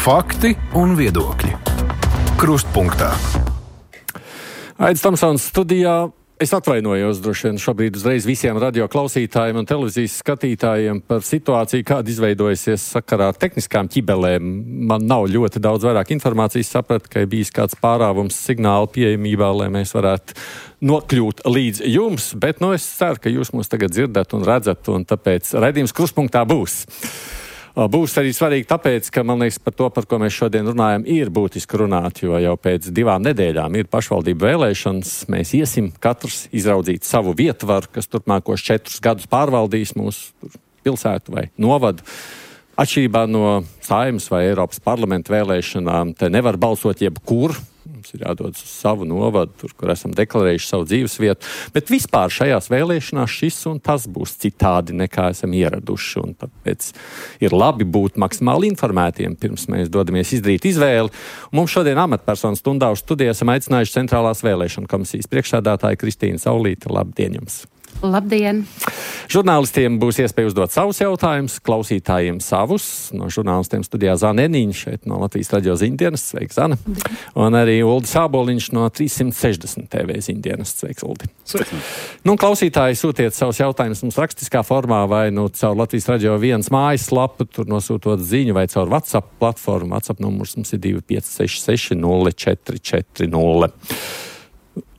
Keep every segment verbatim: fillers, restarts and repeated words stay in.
Fakti un viedokļi. Krustpunktā. Aidis Tomsons studijā. Es atvainojos droši vien šobrīd uzreiz visiem radio klausītājiem un televīzijas skatītājiem par situāciju, kāda izveidojusies sakarā ar tehniskām ķibelēm. Man nav ļoti daudz vairāk informācijas, sapratu, ka ir bijis kāds pārāvums signāla pieejamībā, lai mēs varētu nokļūt līdz jums, bet nu, es ceru, ka jūs mūs tagad dzirdat un redzat, un tāpēc raidījums Krustpunktā būs. Būs arī svarīgi tāpēc, ka, man liekas, par to, par ko mēs šodien runājam, ir būtiski runāt, jo jau pēc divām nedēļām ir pašvaldību vēlēšanas. Mēs iesim katrs izraudzīt savu vietvaru, kas turpmākos četrus gadus pārvaldīs mūsu pilsētu vai novadu. Atšķirībā no Saeimas vai Eiropas parlamenta vēlēšanām, te nevar balsot jebkur. Mums ir jādodas uz savu novadu, tur, kur esam deklarējuši savu dzīvesvietu. Bet vispār šajās vēlēšanās šis un tas būs citādi, nekā esam ieraduši. Un tāpēc ir labi būt maksimāli informētiem, pirms mēs dodamies izdarīt izvēli. Un mums šodien amatpersonu stundā uz studiju esam aicinājuši Centrālās vēlēšana komisijas priekšsēdētāju Kristīnu Saulīti. Labdien jums! Labdien! Žurnālistiem būs iespēja uzdot savus jautājumus, klausītājiem savus. No žurnālistiem studijā Zana Eniņa, šeit no Latvijas radio ziņdienas. Sveiki, Zana! Un arī Uldis Āboliņš no trīssimt sešdesmit T V ziņdienas. Sveiks, Uldi! Sveiki! Nu, klausītāji, sūtiet savus jautājumus mums rakstiskā formā vai nu caur Latvijas radio viens mājaslapu, tur nosūtot ziņu vai caur WhatsApp platformu. WhatsApp numurs mums ir divi pieci seši seši nulle četri četri nulle.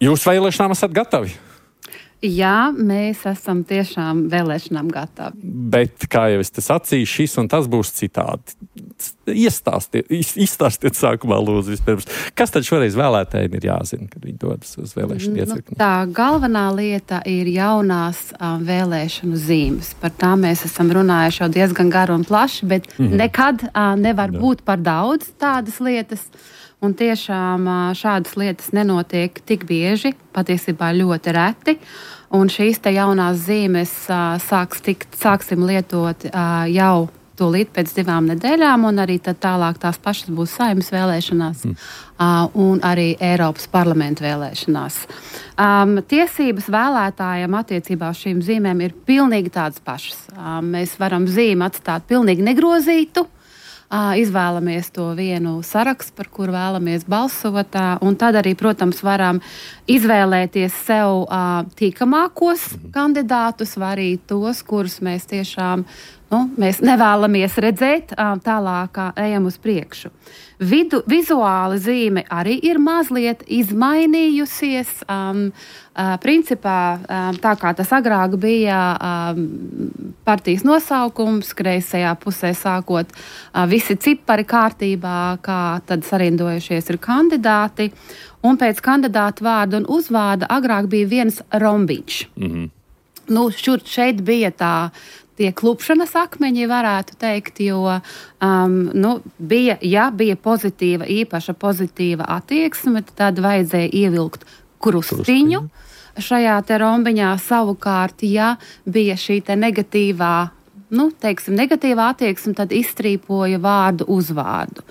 Jūs vēlēšanām esat gatavi? Jā, mēs esam tiešām vēlēšanām gatavi. Bet, kā jau es te sacīju, šis un tas būs citādi. Iestāstiet, izstāstiet sākumā lūdzu vispirms. Kas tad šoreiz vēlētājiem ir jāzina, kad viņi dodas uz vēlēšanu iecirkni? Nu, tā galvenā lieta ir jaunās um, vēlēšanu zīmes. Par tām mēs esam runājuši jau diezgan garu un plaši, bet mm-hmm. nekad uh, nevar Jā. būt par daudz tādas lietas. Un tiešām šādas lietas nenotiek tik bieži, patiesībā ļoti reti. Un šīs te jaunās zīmes sāks tikt, sāksim lietot jau tūlīt pēc divām nedēļām, un arī tad tālāk tās pašas būs Saeimas vēlēšanās mm. un arī Eiropas parlamenta vēlēšanās. Um, tiesības vēlētājiem attiecībā uz šīm zīmēm ir pilnīgi tādas pašas. Um, mēs varam zīmi atstāt pilnīgi negrozītu. Uh, izvēlamies to vienu sarakstu, par kuru vēlamies balsot, uh, un tad arī, protams, varam izvēlēties sev uh, tīkamākos kandidātus, vai arī tos, kurus mēs tiešām nu, mēs nevēlamies redzēt, uh, tālāk uh, ejam uz priekšu. Vidu, vizuāli zīme arī ir mazliet izmainījusies. Um, uh, principā, um, tā kā tas agrāk bija um, partijas nosaukums, kreisajā pusē sākot uh, visi cipari kārtībā, kā tad sarindojušies ir kandidāti, un pēc kandidātu vārda un uzvārda agrāk bija viens rombiņš. Mm-hmm. Nu, šur, šeit bija tā tie klupšanas akmeņi, varētu teikt, jo um, nu, bija, ja bija pozitīva, īpaša pozitīva attieksme, tad vajadzēja ievilkt krustiņu šajā te rombiņā. Savukārt, ja bija šī te negatīvā, nu, teiksim, negatīvā attieksme, tad izstrīpoja vārdu uzvārdu.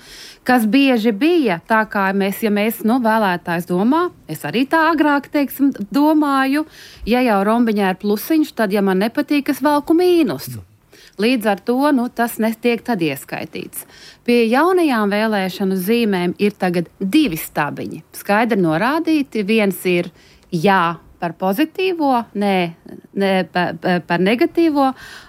Kas bieži bija, tā kā mēs, ja mēs, nu, vēlētājs domā, es arī tā agrāk, teiksim, domāju, ja jau rombiņā ir plusiņš, tad, ja man nepatīk, es velku mīnusu. Līdz ar to, nu, tas netiek tad ieskaitīts. Pie jaunajām vēlēšanu zīmēm ir tagad divi stabiņi. Skaidri norādīti, viens ir jā par pozitīvo, nē, nē par, par negatīvo.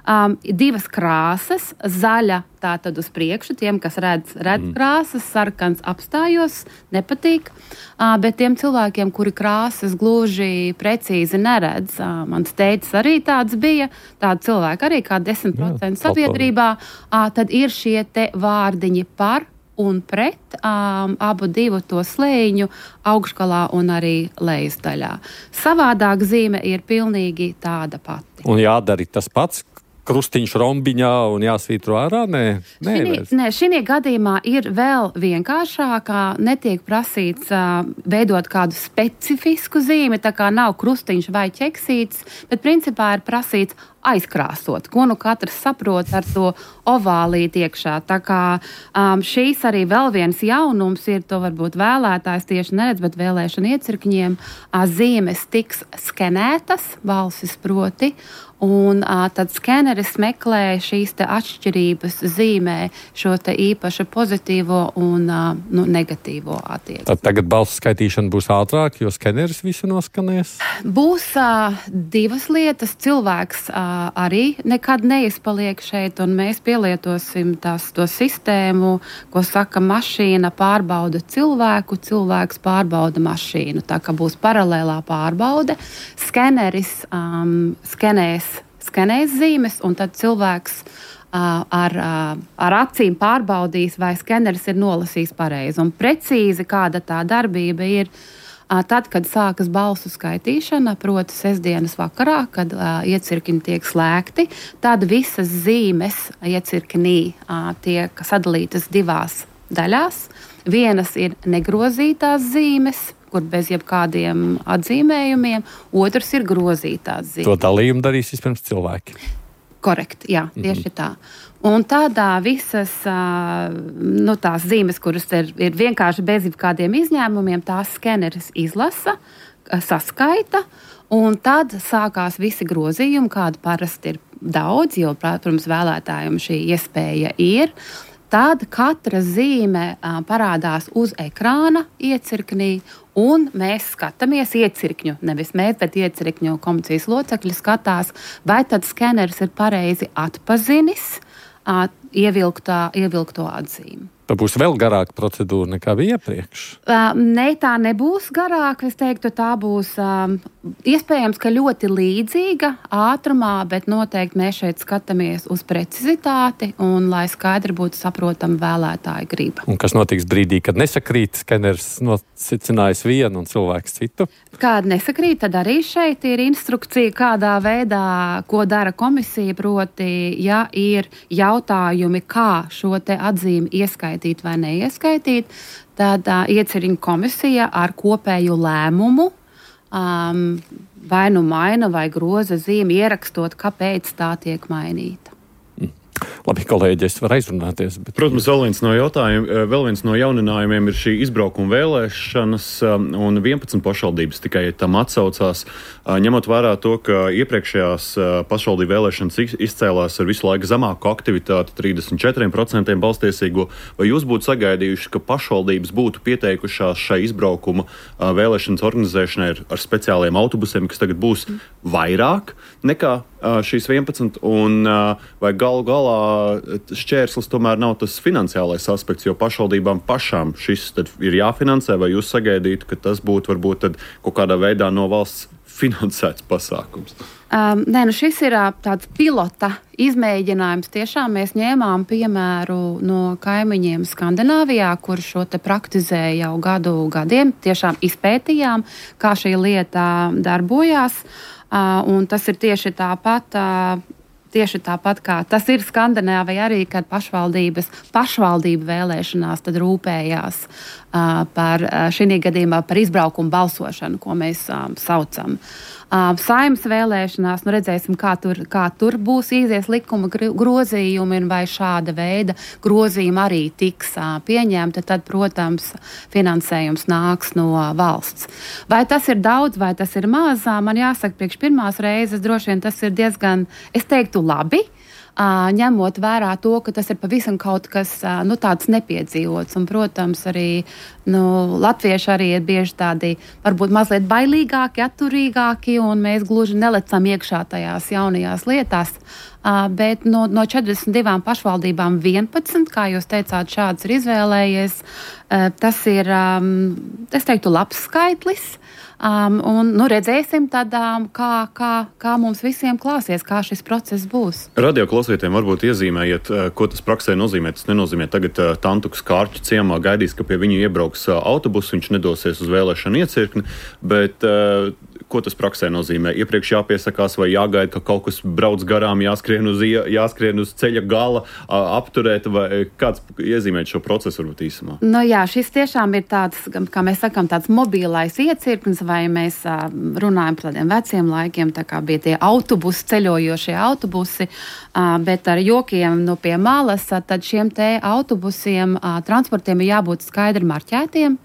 Um, divas krāsas, zaļa tā tad uz priekšu, tiem, kas redz, redz mm. krāsas, sarkans apstājos, nepatīk. Uh, bet tiem cilvēkiem, kuri krāsas gluži precīzi neredz, uh, mans teicis arī tāds bija, tādi cilvēki arī kā desmit procenti sabiedrībā, uh, tad ir šie te vārdiņi par un pret um, abu divu to slēņu augšgalā un arī lejas daļā. Savādāk zīme ir pilnīgi tāda pati. Un jādara tas pats, krustiņš rombiņā un jāsvītro ārā? Nē, nē, nē, šī gadījumā ir vēl vienkāršākā, netiek prasīts uh, veidot kādu specifisku zīmi, tā kā nav krustiņš vai ķeksīts, bet principā ir prasīts aizkrāsot, ko nu katrs saprot ar to ovālīti iekšā. Tā kā um, šīs arī vēl viens jaunums ir, to varbūt vēlētājs tieši neredz, bet vēlēšana iecirkņiem uh, zīmes tiks skenētas, balsis proti, un uh, tad skeneris meklē šīs te atšķirības, zīmē šo te īpaši pozitīvo un uh, nu, negatīvo attieksmi. Tad tagad balsu skaitīšana būs ātrāk, jo skeneris visu noskanēs? Būs uh, divas lietas. Cilvēks uh, arī nekad neizpaliek šeit, un mēs pielietosim tās, to sistēmu, ko saka mašīna pārbauda cilvēku, cilvēks pārbauda mašīnu. Tā kā būs paralēlā pārbaude, skeneris um, skenēs skenēs zīmes, un tad cilvēks uh, ar, uh, ar acīm pārbaudīs, vai skeneris ir nolasījis pareizi. Un precīzi kāda tā darbība ir uh, tad, kad sākas balsu skaitīšana, proti sestdienas vakarā, kad uh, iecirkņi tiek slēgti, tad visas zīmes iecirknī uh, tiek sadalītas divās daļās. Vienas ir negrozītās zīmes, kur bez jebkādiem atzīmējumiem, otrs ir grozītās zīmes. To dalījumu darīs vispirms cilvēki. Korekti, jā, tieši mm-hmm. tā. Un tādā visas uh, nu, tās zīmes, kuras ir, ir vienkārši bez jebkādiem izņēmumiem, tās skeneris izlasa, saskaita, un tad sākās visi grozījumi, kādi parasti ir daudz, jo, protams, vēlētājiem šī iespēja ir. Tad katra zīme uh, parādās uz ekrāna iecirknī, un mēs skatāmies iecirkņu, nevis mēs, bet iecirkņu komisijas locekļi skatās, vai tad skeneris ir pareizi atpazinis uh, ievilktā, ievilkto atzīmi. Tā būs vēl garāka procedūra nekā bija iepriekš? Uh, ne, tā nebūs garāka. Es teiktu, tā būs um, iespējams, ka ļoti līdzīga ātrumā, bet noteikti mēs šeit skatāmies uz precizitāti un lai skaidri būtu saprotama vēlētāja griba. Un kas notiks brīdī, kad nesakrīt, skeneris nosicinājis vienu un cilvēks citu? Kāda nesakrīt, tad arī šeit ir instrukcija, kādā veidā, ko dara komisija, proti, ja ir jautājumi, kā šo te atzīmi ieskaitīt vai neieskaitīt, tad uh, iecirkņu komisija ar kopēju lēmumu um, vai nu maina vai groza zīmi, ierakstot, kāpēc tā tiek mainīta. Labi, kolēģi, es varu aizrunāties. Bet... Protams, vēl viens no jautājumiem, vēl viens no jauninājumiem ir šī izbraukuma vēlēšanas, un vienpadsmit pašvaldības tikai tam atsaucās, ņemot vērā to, ka iepriekšējās pašvaldību vēlēšanas izcēlās ar visu laiku zemāku aktivitāti, trīsdesmit četri procenti balstiesīgo. Vai jūs būtu sagaidījuši, ka pašvaldības būtu pieteikušās šai izbraukuma vēlēšanas organizēšanai ar, ar speciāliem autobusiem, kas tagad būs vairāk nekā šīs vienpadsmit, un vai galu galā šķērslis tomēr nav tas finansiālais aspekts, jo pašvaldībām pašām šis tad ir jāfinansē, vai jūs sagaidītu, ka tas būtu varbūt tad kaut kādā veidā no valsts finansēts pasākums? Um, nē, nu šis ir uh, tāds pilota izmēģinājums. Tiešām mēs ņēmām piemēru no kaimiņiem Skandināvijā, kur šo te praktizēja jau gadu gadiem. Tiešām izpētījām, kā šī lieta darbojās. Uh, un tas ir tieši tāpat, uh, tieši tāpat kā tas ir Skandināvijā arī, kad pašvaldības pašvaldību vēlēšanās tad rūpējās uh, par uh, šī gadījumā par izbraukumu balsošanu, ko mēs um, saucam. Uh, Saeimas vēlēšanās, nu redzēsim, kā tur, kā tur būs izies likuma grozījumi un vai šāda veida grozījumi arī tiks uh, pieņemti, tad, protams, finansējums nāks no uh, valsts. Vai tas ir daudz, vai tas ir maz, uh, man jāsaka, priekš pirmās reizes droši vien tas ir diezgan, es teiktu, labi, uh, ņemot vērā to, ka tas ir pavisam kaut kas uh, nu, tāds nepiedzīvots. Un, protams, arī nu, latvieši arī ir bieži tādi varbūt mazliet bailīgāki, atturīgāki, un mēs gluži nelecam iekšā tajās jaunajās lietās. Uh, bet no, no četrdesmit divām pašvaldībām vienpadsmit, kā jūs teicāt, šāds ir izvēlējies. Uh, tas ir, um, es teiktu, labs skaitlis. Um, un nu, redzēsim, tad, um, kā, kā, kā mums visiem klāsies, kā šis process būs. Radio klausītājiem varbūt iezīmējiet, ko tas praksē nozīmē. Tas nenozīmē tagad uh, Tantukas Kārķu ciemā gaidīs, ka pie viņa iebrauks uh, autobus, viņš nedosies uz vēlēšanu iecirkni, bet uh, ko tas praksē nozīmē? Iepriekš jāpiesakās vai jāgaida, ka kaut kas brauc garām, jāskrien uz, jāskrien uz ceļa gala, apturēt, vai kāds iezīmēt šo procesu varbūt īsumā? Nu jā, šis tiešām ir tāds, kā mēs sakām, tāds mobilais iecirknis, vai mēs runājam par tādiem veciem laikiem, tā kā bija tie autobusi, ceļojošie autobusi, bet ar jokiem no pie malas, tad šiem te autobusiem, transportiem ir jābūt skaidri marķētiem,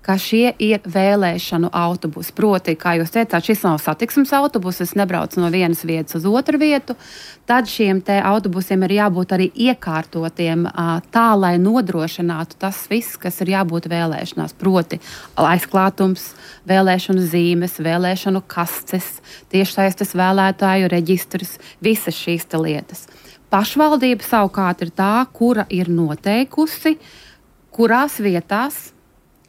ka šie ir vēlēšanu autobusi. Proti, kā jūs teicāt, šis nav satiksmes autobus, es nebraucu no vienas vietas uz otru vietu, tad šiem te autobusiem ir jābūt arī iekārtotiem tā, lai nodrošinātu tas viss, kas ir jābūt vēlēšanās. Proti, aizklātums, vēlēšanu zīmes, vēlēšanu kastes, tiešsaistes vēlētāju reģistrs, visas šīs te lietas. Pašvaldība savukārt ir tā, kura ir noteikusi, kurās vietās,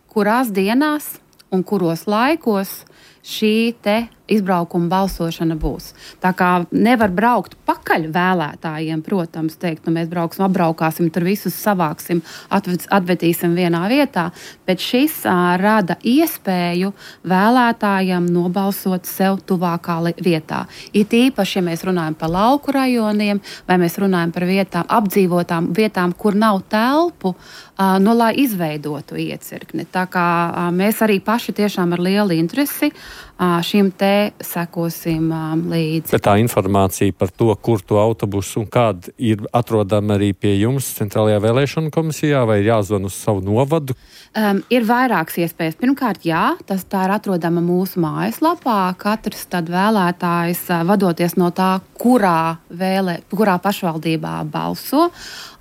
kurās dienās un kuros laikos šī te izbraukuma balsošana būs. Tā kā nevar braukt pakaļ vēlētājiem, protams, teikt, nu mēs brauksim, apbraukāsim, tur visus savāksim, atved, atvedīsim vienā vietā, bet šis ā, rada iespēju vēlētājiem nobalsot sev tuvākā vietā. It īpaši, ja mēs runājam par lauku rajoniem, vai mēs runājam par vietām, apdzīvotām vietām, kur nav telpu, ā, nu, lai izveidotu iecirkni. Tā kā ā, mēs arī paši tiešām ar lielu interesi ā, šim te sekosim um, līdzi. Bet tā informācija par to, kur to autobusu un kāda ir atrodama arī pie jums Centrālajā vēlēšanu komisijā, vai ir jāzvan uz savu novadu? Um, ir vairākas iespējas. Pirmkārt, jā, tas tā ir atrodama mūsu mājaslapā. Katrs tad vēlētājs, vadoties no tā, kurā, vēlē, kurā pašvaldībā balso,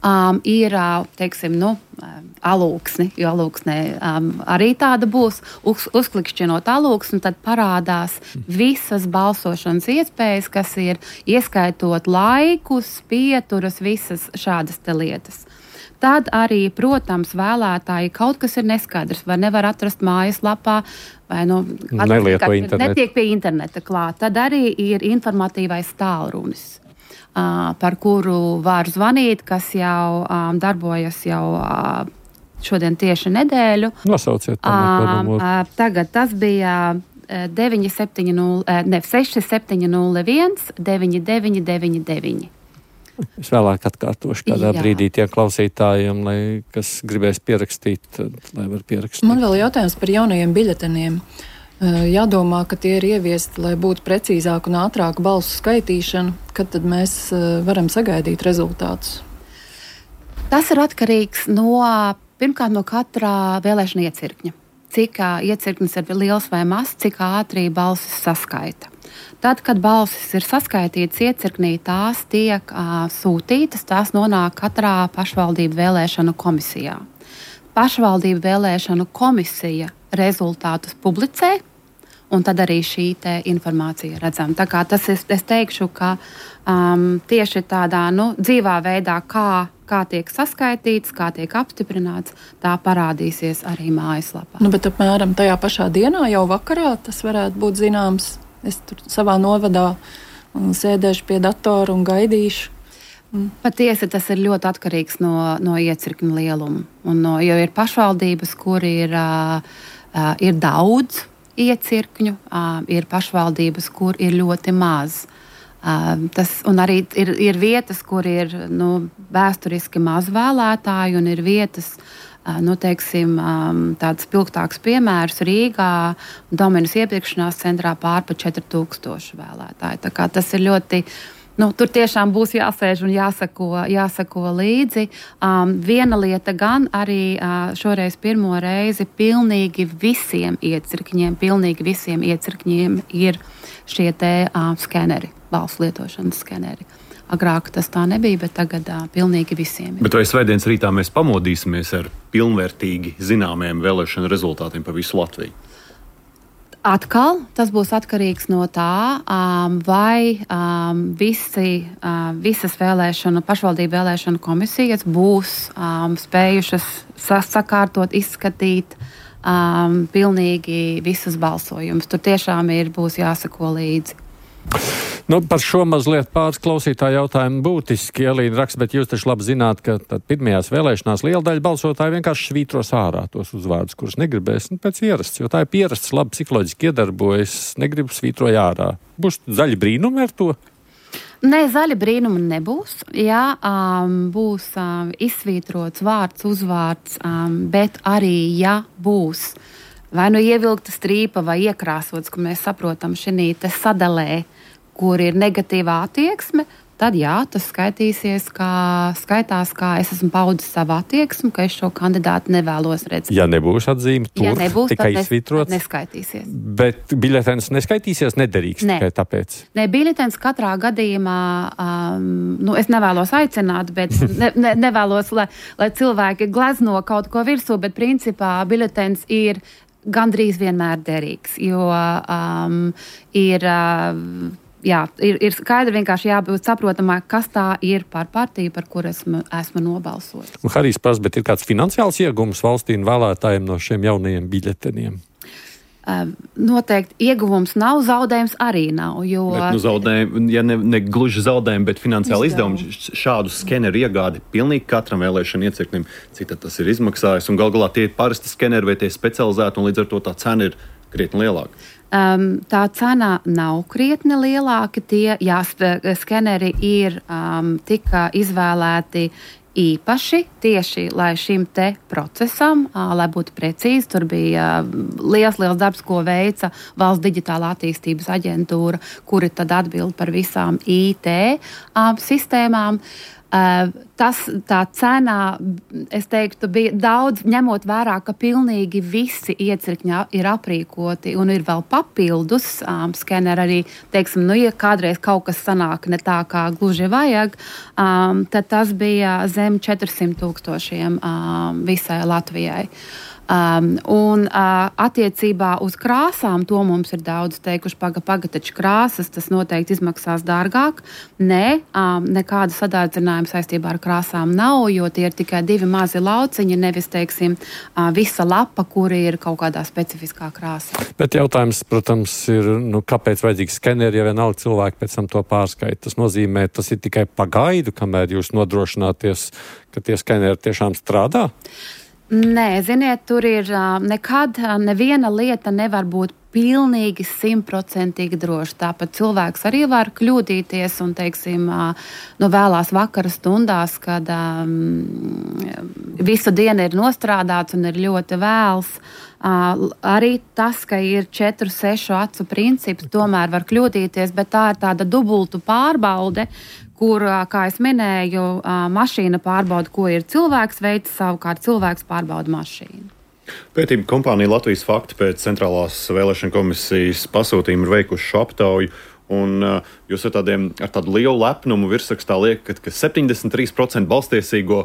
um, ir, teiksim, nu, alūksni, jo alūksnē um, arī tāda būs, uz, uzklikšķinot alūksni, tad parādās visas balsošanas iespējas, kas ir ieskaitot laikus, pieturas, visas šādas te lietas. Tad arī, protams, vēlētāji kaut kas ir neskaidrs, vai nevar atrast mājaslapā, vai nu, nelieto internetu. Netiek pie interneta klāt. Tad arī ir informatīvais tālrunis, uh, par kuru var zvanīt, kas jau um, darbojas jau uh, šodien tieši nedēļu. Nosauciet to numuru. Uh, tagad tas bija deviņi septiņi nulle, ne, seši septiņi nulle viens, deviņi deviņi deviņi deviņi. Es vēlāk atkārtošu kādā Jā. brīdī tiem klausītājiem, lai, kas gribēs pierakstīt, lai var pierakstīt. Man vēl jautājums par jaunajiem biļeteniem. Jādomā, ka tie ir ieviesti, lai būtu precīzāk un ātrāk balsu skaitīšana. Kad tad mēs varam sagaidīt rezultātus? Tas ir atkarīgs no, pirmkārt, no katrā vēlēšana iecirkņa. Cik iecirknis ir liels vai mazs, cik ātri balsis saskaita. Tad, kad balsis ir saskaitītas iecirknī, tās tiek uh, sūtītas, tās nonāk katrā pašvaldību vēlēšanu komisijā. Pašvaldību vēlēšanu komisija rezultātus publicē, un tad arī šī te informācija redzama. Tā kā tas es, es teikšu, ka um, tieši tādā nu, dzīvā veidā, kā, kā tiek saskaitīts, kā tiek apstiprināts, tā parādīsies arī mājaslapā. Nu, bet apmēram tajā pašā dienā, jau vakarā, tas varētu būt zināms. Es tur savā novadā sēdēšu pie datora un gaidīšu. Patiesi tas ir ļoti atkarīgs no, no iecirkņa lieluma. Un no, jo ir pašvaldības, kur ir, uh, uh, ir daudz iecirkņu, uh, ir pašvaldības, kur ir ļoti maz. Uh, tas, un arī ir, ir vietas, kur ir nu, vēsturiski maz vēlētāji, un ir vietas, nu, teiksim, tāds spilgtāks piemērs Rīgā, Dominas iepirkšanās centrā pār pa četri tūkstoši vēlētāji. Tā kā tas ir ļoti, nu, tur tiešām būs jāsēž un jāsako, jāsako līdzi. Um, viena lieta gan arī uh, šoreiz pirmo reizi pilnīgi visiem iecirkņiem, pilnīgi visiem iecirkņiem ir šie te uh, skeneri, balsu lietošanas skeneri. Agrāk tas tā nebija, bet tagad uh, pilnīgi visiem ir. Bet vai svētdienas rītā mēs pamodīsimies ar pilnvērtīgi zināmiem vēlēšanu rezultātiem pa visu Latviju? Atkal tas būs atkarīgs no tā, um, vai um, visi, uh, visas vēlēšanu, pašvaldību vēlēšanu komisijas būs um, spējušas sakārtot, izskatīt um, pilnīgi visus balsojumus. Tur tiešām ir, būs jāsako līdzi. Nu, par šo mazliet pāris klausītāju jautājumu būtiski. Elīna raksta, bet jūs taču labi zināt, ka pirmajās vēlēšanās liela daļa balsotāju vienkārši svītros ārā tos uzvārdus, kurus negribēs, nu, pēc ierasts, jo tā ir pierasts, labi psiholoģiski iedarbojas, negribu svītroju ārā. Būs zaļi brīnumi ar to? Nē, zaļa brīnuma nebūs. Jā, um, būs um, izsvītrots vārds, uzvārds, um, bet arī, ja būs vai nu ievilkta strīpa vai iekrāsots, ka mēs saprotam šī te sadalē, kur ir negatīvā attieksme, tad jā, tas skaitīsies, kā, skaitās, kā es esmu paudis savu attieksmi, ka es šo kandidātu nevēlos redzēt. Ja nebūs atzīme, tur ja nebūs, tikai nes, izsvītrots. Neskaitīsies. Bet biļetens neskaitīsies, nederīgs ne. tikai tāpēc. Nē, biļetens katrā gadījumā, um, nu, es nevēlos aicināt, bet ne, ne, nevēlos, lai, lai cilvēki glezno kaut ko virsū, bet principā biļetens ir gandrīz vienmēr derīgs, jo um, ir... Uh, Jā, ir, ir skaidri vienkārši jābūt saprotamā, kas tā ir par partiju, par kur esmu, esmu nobalsojis. Un Harijs prasa, bet ir kāds finansiāls iegums valstī un vēlētājiem no šiem jaunajiem biļeteniem? Uh, noteikti ieguvums nav, zaudējums arī nav. Jo... Bet, nu, zaudējumi, ja ne, ne gluži zaudējumi, bet finansiāli izdevumi, šādu skeneru iegādi pilnīgi katram vēlēšanu iecirknim, cik tas ir izmaksājis. Un gal galā tie ir parasti skeneri vai tie specializēti, un līdz ar to tā cena ir krietni lielāka. Um, tā cena nav krietni lielāka. Tie jā, skeneri ir um, tika izvēlēti īpaši tieši lai šim te procesam, uh, lai būtu precīzi. Tur bija uh, liels, liels darbs, ko veica Valsts digitālā attīstības aģentūra, kuri tad atbild par visām I T um, sistēmām. Uh, tas, tā cena, es teiktu, bija daudz, ņemot vērā, ka pilnīgi visi iecirkņi ir aprīkoti un ir vēl papildus um, skeneri arī, teiksim, nu, ja kādreiz kaut kas sanāk ne tā, kā gluži vajag, um, tad tas bija zem četrsimt tūkstošiem um, visai Latvijai. Um, un uh, attiecībā uz krāsām, to mums ir daudz teikuši, paga, paga, taču krāsas, tas noteikti izmaksās dārgāk. Nē, um, nekāda sadārdzinājuma saistībā ar krāsām nav, jo tie ir tikai divi mazi lauciņi, nevis, teiksim, uh, visa lapa, kuri ir kaut kādā specifiskā krāsā. Bet jautājums, protams, ir, nu, kāpēc vajadzīgs skeneri, ja vienalga cilvēki pēc tam to pārskaita? Tas nozīmē, tas ir tikai pagaidu, kamēr jūs nodrošināties, ka tie skeneri tiešām strādā? Nē, ziniet, tur ir nekad neviena lieta nevar būt pilnīgi simtprocentīgi droši. Tāpat cilvēks arī var kļūdīties un, teiksim, no vēlās vakara stundās, kad um, visu dienu ir nostrādāts un ir ļoti vēls. Uh, arī tas, ka ir četru, sešu acu princips, tomēr var kļūdīties, bet tā ir tāda dubultu pārbaude, kur, kā es minēju, mašīna pārbauda, ko ir cilvēks veids, savukārt cilvēks pārbauda mašīnu. Pētījuma kompānija Latvijas Fakti pēc Centrālās vēlēšana komisijas pasūtījuma ir veikuši šo aptauju. Un uh, jūs ar, tādiem, ar tādu lielu lepnumu virsrakstā liekat, ka septiņdesmit trīs procenti balstiesīgo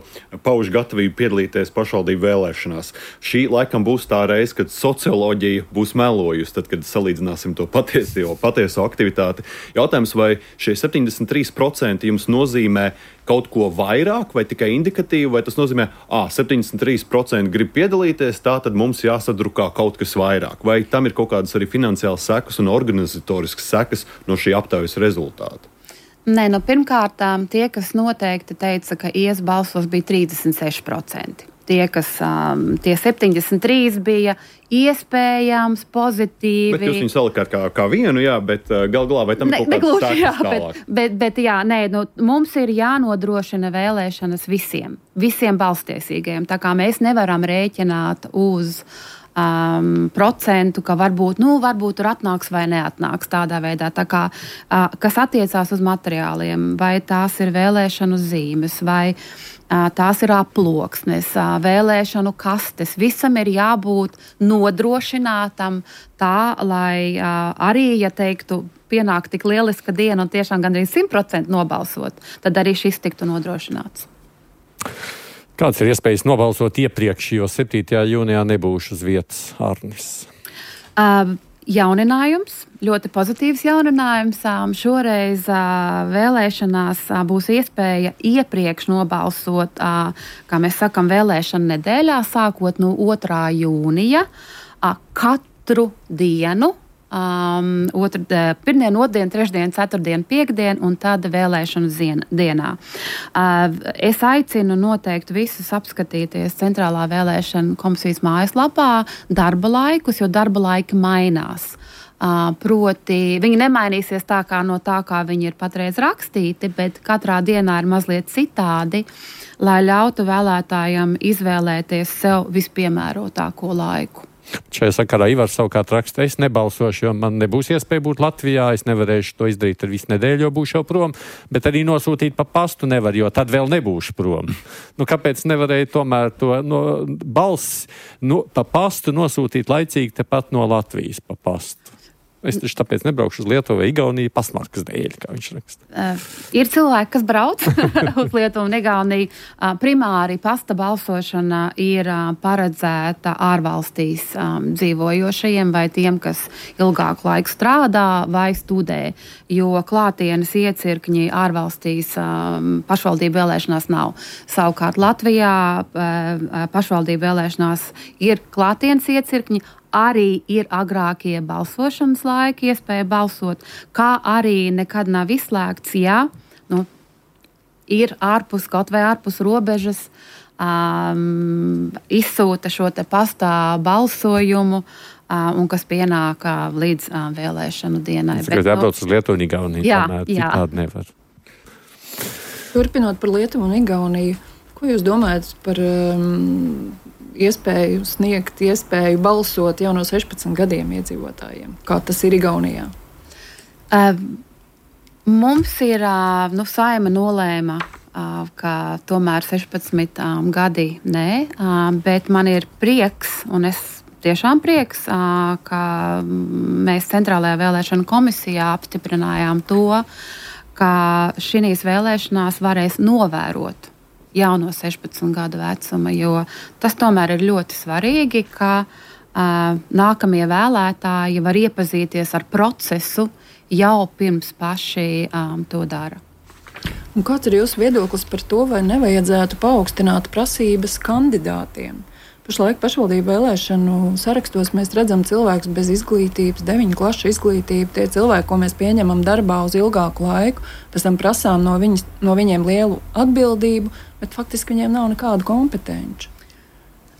pauž gatavību piedalīties pašvaldību vēlēšanās. Šī laikam būs tā reize, kad socioloģija būs melojusi, tad, kad salīdzināsim to patieso, patieso aktivitāti. Jautājums, vai šie septiņdesmit trīs procenti jums nozīmē kaut ko vairāk vai tikai indikatīvi, vai tas nozīmē, ā, septiņdesmit trīs procenti grib piedalīties, tā tad mums jāsadrukā kaut kas vairāk. Vai tam ir kaut kādas arī finansiālas sekas un organizatoriskas sekas no šī aptaujas rezultāta? Nē, nu pirmkārt, tie, kas noteikti teica, ka ies balsos, bija trīsdesmit seši procenti. Tie, kas, um, tie septiņdesmit trīs bija iespējams, pozitīvi. Bet jūs viņu salikāt kā, kā vienu, jā, bet uh, gal galā vai tam ne, ir kaut kāds negluži, jā, tālāk? Bet, bet, bet jā, nē, nu, mums ir jānodrošina vēlēšanas visiem, visiem balstiesīgajiem. Tā kā mēs nevaram rēķināt uz um, procentu, ka varbūt, nu, varbūt tur atnāks vai neatnāks tādā veidā. Tā kā, uh, kas attiecās uz materiāliem, vai tās ir vēlēšanu zīmes, vai tās ir aploksnes, vēlēšanu kastes. Visam ir jābūt nodrošinātam tā, lai arī, ja teiktu, pienāk tik lieliska diena un tiešām gandrīz simt procenti nobalsot, tad arī šis tiktu nodrošināts. Kāds ir iespējas nobalsot iepriekš, jo septītajā jūnijā nebūšu uz vietas, Arnis? Uh, Jauninājums, ļoti pozitīvs jauninājums. Šoreiz vēlēšanās būs iespēja iepriekš nobalsot, kā mēs sakam, vēlēšana nedēļā, sākot no otrā jūnija, katru dienu um, otru, pirmdien, otrdien, trešdien, ceturtdien, piekdien un tad vēlēšanu zien, dienā. Uh, es aicinu noteikti visus apskatīties Centrālā vēlēšana komisijas mājaslapā darba laikus, jo darba laiki mainās. Uh, proti, viņi nemainīsies tā kā no tā, kā viņi ir patreiz rakstīti, bet katrā dienā ir mazliet citādi, lai ļautu vēlētājiem izvēlēties sev vispiemērotāko laiku. Šajā sakarā Ivars savukārt raksta, es nebalsošu, jo man nebūs iespēja būt Latvijā, es nevarēšu to izdarīt ar visu nedēļu, jo būšu jau prom, bet arī nosūtīt pa pastu nevar, jo tad vēl nebūšu prom. Nu, kāpēc nevarēja tomēr to no, balss no, pa pastu nosūtīt laicīgi tepat no Latvijas pa pastu? Es taču tāpēc nebraukšu uz Lietuvu vai Igauniju pasmarkas dēļ, kā viņš raksta. Uh, ir cilvēki, kas brauc uz Lietuvu un Igauniju. Uh, primāri pasta balsošana ir uh, paredzēta ārvalstīs um, dzīvojošajiem vai tiem, kas ilgāku laiku strādā vai studē, jo klātienes iecirkņi ārvalstīs um, pašvaldību vēlēšanās nav. Savukārt Latvijā uh, pašvaldību vēlēšanās ir klātienes iecirkņi, arī ir agrākie balsošanas laiki, iespēja balsot, kā arī nekad nav izslēgts, ja nu, ir ārpus, kaut vai ārpus robežas, um, izsūta šo te pastā balsojumu, um, un kas pienāk uh, līdz uh, vēlēšanu dienai. Es tikai jābrauc uz Lietuvu un Igauniju, jā, tomēr jā. citādi nevar. Turpinot par Lietuvu un Igauniju, ko jūs domājat par um, iespēju sniegt, iespēju balsot jau no sešpadsmit gadiem iedzīvotājiem? Kā tas ir Igaunijā? Uh, mums ir, uh, nu, Saeima nolēma, uh, ka tomēr sešpadsmit um, gadi nē, uh, bet man ir prieks, un es tiešām prieks, uh, ka mēs Centrālajā vēlēšana komisijā apstiprinājām to, ka šīs vēlēšanās varēs novērot jauno sešpadsmit gadu vecuma, jo tas tomēr ir ļoti svarīgi, ka uh, nākamie vēlētāji var iepazīties ar procesu jau pirms paši um, to dara. Un kāds ir jūsu viedoklis par to, vai nevajadzētu paaugstināt prasības kandidātiem? Pašlaik pašvaldību vēlēšanu sarakstos mēs redzam cilvēkus bez izglītības, deviņu klašu izglītību, tie cilvēki, ko mēs pieņemam darbā uz ilgāku laiku, pēc tam prasām no, viņas, no viņiem lielu atbildību, bet faktiski viņiem nav nekādu kompetenci.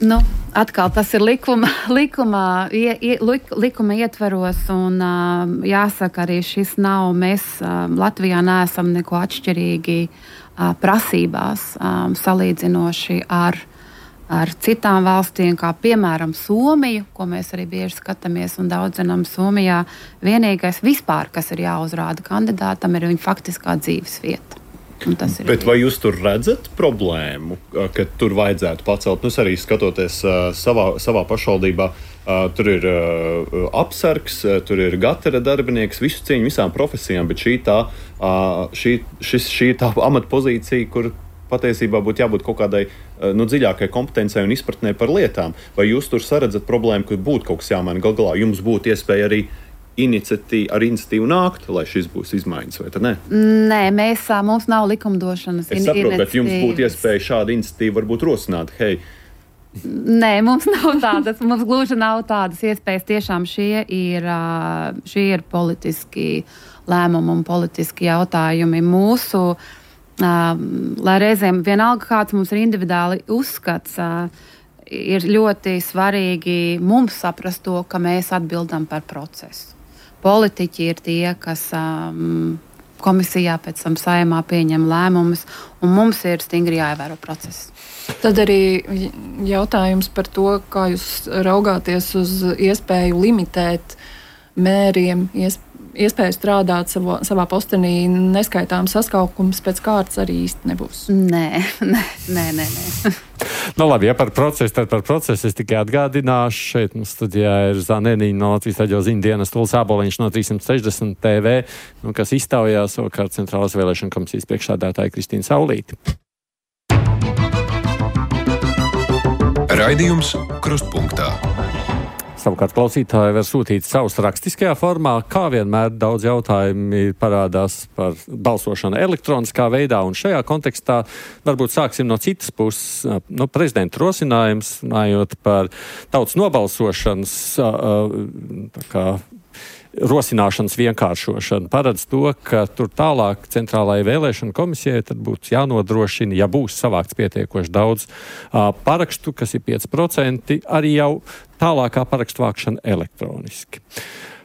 Nu, atkal tas ir likuma, likuma, ie, ie, likuma ietveros, un uh, jāsaka arī šis nav, mēs uh, Latvijā neesam neko atšķirīgi uh, prasībās, um, salīdzinoši ar ar citām valstīm, kā piemēram Somiju, ko mēs arī bieži skatāmies un daudz zinām Somijā. Vienīgais vispār, kas ir jāuzrāda kandidātam, ir viņa faktiskā dzīves vieta. Bet vai jūs tur redzat problēmu, ka tur vajadzētu pacelt? Nu, es arī skatoties uh, savā, savā pašvaldībā, uh, tur ir uh, apsargs, uh, tur ir gatera darbinieks, visu cieņu visām profesijām, bet šī tā, uh, šī, šis, šī tā amatpozīcija, kur patiesībā būtu jābūt kaut kādai nu, dziļākai kompetencei un izpratnē par lietām. Vai jūs tur saredzat problēmu, ka būtu kaut kas jāmaina? Gal galā jums būtu iespēja arī iniciatīvu, ar iniciatīvu nākt, lai šis būs izmaiņas, vai tad ne? Nē, mēs, mums nav likumdošanas iniciatīvas. Es saprotu, bet jums būtu iespēja šādu iniciatīvu varbūt rosināt. Hei, Nē, mums nav tādas, mums gluži nav tādas iespējas. Tiešām šie ir, šie ir politiski lēmumi un politiski jautājumi mūsu. Uh, lai reizēm vienalga kāds mums ir individuāli uzskats, uh, ir ļoti svarīgi mums saprast to, ka mēs atbildam par procesu. Politiķi ir tie, kas um, komisijā pēc tam Saeimā pieņem lēmumus, un mums ir stingri jāievēro process. Tad arī jautājums par to, kā jūs raugāties uz iespēju limitēt mēriem, iespēju iespēja strādāt savā, savā postenī, neskaitām saskaukums pēc kārtas arī īsti nebūs. Nē, nē, nē, nē. nē. Nu labi, ja par procesu, tad par procesu es tikai atgādināšu. Šeit mums studijā ir Zaneniņa no Latvijas radio ziņu dienas, Tuls Āboliņš no trīs sešdesmit T V, nu, kas iztaujā savukārt Centrālās vēlēšana komisijas priekšsēdētāja Kristīna Saulīte. Raidījums Krustpunktā. Savukārt klausītāji var sūtīt savus rakstiskajā formā, kā vienmēr daudz jautājumi parādās par balsošanu elektroniskā veidā, un šajā kontekstā varbūt sāksim no citas puses. No prezidenta rosinājums, runājot par tautas nobalsošanas tā kā, rosināšanas vienkāršošana paredz to, ka tur tālāk centrālajai vēlēšana komisijai tad būtu jānodrošina, ja būs savākts pietiekoši daudz uh, parakstu, kas ir pieci procenti, arī jau tālākā parakstu vākšana elektroniski.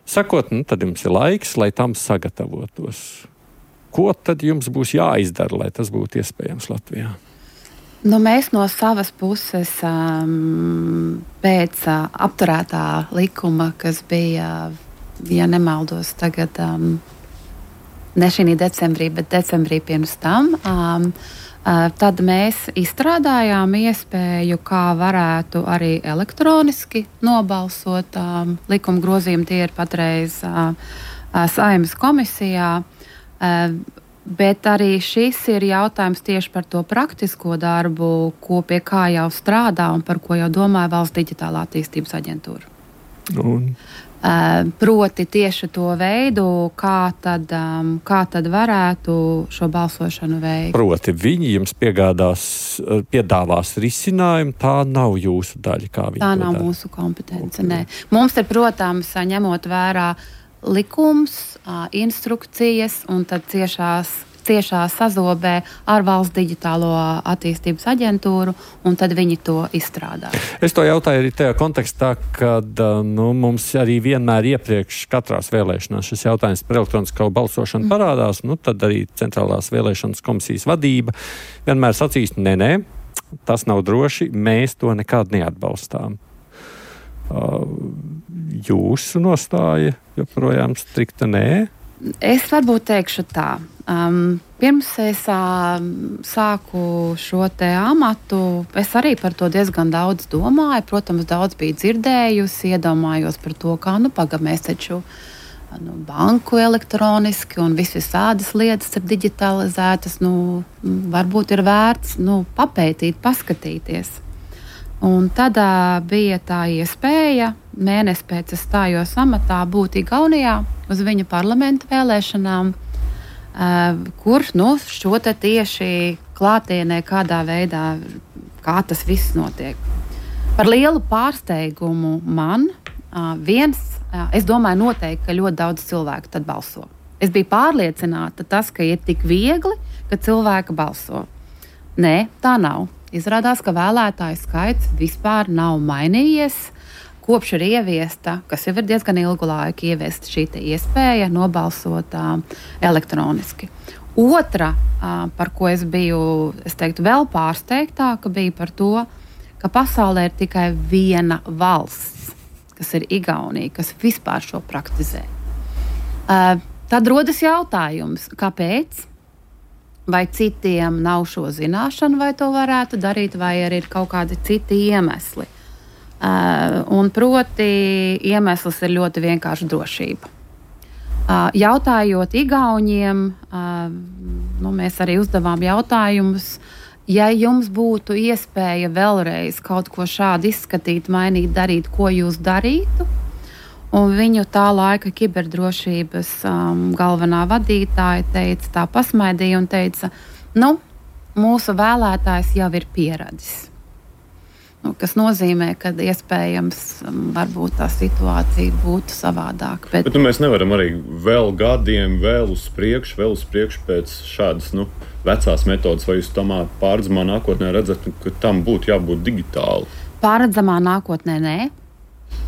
Sakot, nu, tad jums ir laiks, lai tam sagatavotos. Ko tad jums būs jāizdara, lai tas būtu iespējams Latvijā? Nu, mēs no savas puses um, pēc uh, apturētā likuma, kas bija, ja nemaldos, tagad um, ne šī decembrī, bet decembrī pirms tam, um, uh, tad mēs izstrādājām iespēju, kā varētu arī elektroniski nobalsot um, likuma grozījumu. Tie ir patreiz uh, uh, Saeimas komisijā. Uh, Bet arī šis ir jautājums tieši par to praktisko darbu, ko pie kā jau strādā un par ko jau domāja Valsts digitālā attīstības aģentūra. Un? Uh, proti tieši to veidu, kā tad, um, kā tad varētu šo balsošanu veikt. Proti viņi jums piegādās, piedāvās risinājumu, tā nav jūsu daļa, kā viņi tā to nav dara. mūsu kompetence, nē. Mums ir, protams, ņemot vērā likums, instrukcijas un tad ciešās, ciešā sazobē ar Valsts digitālo attīstības aģentūru, un tad viņi to izstrādā. Es to jautāju arī tajā kontekstā, kad nu, mums arī vienmēr iepriekš katrās vēlēšanās šis jautājums par elektronisko balsošanu mm. parādās, nu tad arī centrālās vēlēšanas komisijas vadība vienmēr sacīs, nē, nē, tas nav droši, mēs to nekād neatbalstām. Uh, jūsu nostāja joprojām strikta nē? Es varbūt teikšu tā. Um, pirms es um, sāku šo te amatu, es arī par to diezgan daudz domāju. Protams, daudz biju dzirdējusi, iedomājos par to, kā nu paga mēs taču nu, banku elektroniski un visvisādas lietas ir digitalizētas. Nu, varbūt ir vērts nu, papētīt, paskatīties. Un tad uh, bija tā iespēja, mēnesi pēc es stājos amatā, būt Igaunijā uz viņa parlamenta vēlēšanām, uh, kur nu, šo te tieši klātienē kādā veidā, kā tas viss notiek. Par lielu pārsteigumu man uh, viens, uh, es domāju noteikti, ka ļoti daudz cilvēku tad balso. Es biju pārliecināta tas, ka ir tik viegli, ka cilvēki balso. Nē, tā nav. Izrādās, ka vēlētāju skaits vispār nav mainījies. Kopš ir ieviesta, kas jau ir diezgan ilgu laiku, ieviesta šī iespēja nobalsot uh, elektroniski. Otra, uh, par ko es biju, es teiktu, vēl pārsteigtāka, bija par to, ka pasaulē ir tikai viena valsts, kas ir Igaunija, kas vispār šo praktizē. Uh, tad rodas jautājums, kāpēc? Vai citiem nav šo zināšanu, vai to varētu darīt, vai arī ir kaut kādi citi iemesli. Uh, un proti iemesls ir ļoti vienkārši drošība. Uh, jautājot Igauniem, uh, nu, mēs arī uzdevām jautājumus, ja jums būtu iespēja vēlreiz kaut ko šādu izskatīt, mainīt, darīt, ko jūs darītu? Un viņu tā laika kiberdrošības um, galvenā vadītāja teica, tā pasmaidīja un teica, nu, mūsu vēlētājs jau ir pieradis. Nu, kas nozīmē, ka iespējams um, varbūt tā situācija būtu savādāka. Bet, bet nu, mēs nevaram arī vēl gadiem, vēl uz priekšu, vēl uz priekšu pēc šādas nu, vecās metodas, vai jūs tamā pārredzamā nākotnē redzat, ka tam būtu jābūt digitāli? Pārredzamā nākotnē nē.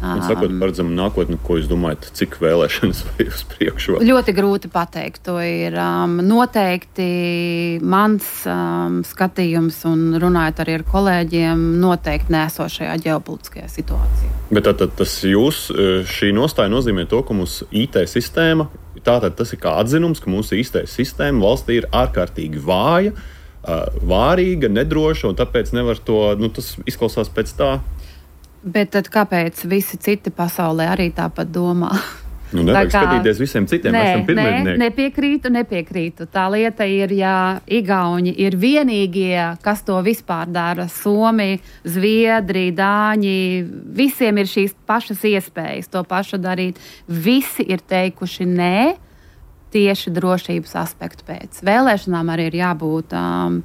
Un sakot, paredzam nākotni, ko jūs domājat, cik vēlēšanas vai uz priekšu? Ļoti grūti pateikt. To ir um, noteikti mans um, skatījums un runājot arī ar kolēģiem, noteikti nesošajā ģeopolitiskajā situācijā. Bet tātad tas jūs, šī nostāja nozīmē to, ka mūsu I T sistēma, tātad tas ir kā atzinums, ka mūsu I T sistēma valstī ir ārkārtīgi vāja, vārīga, nedroša, un tāpēc nevar to, nu tas izklausās pēc tā. Bet tad kāpēc visi citi pasaulē arī tāpat domā? Nu, nevajag kā... skatīties visiem citiem, nē, esam pirmēdnieki. Nē, nepiekrītu, nepiekrītu. Tā lieta ir, ja Igauni ir vienīgie, kas to vispār dara. Somi, Zviedri, Dāņi, visiem ir šīs pašas iespējas to pašu darīt. Visi ir teikuši nē, tieši drošības aspektu pēc. Vēlēšanām arī ir jābūt um,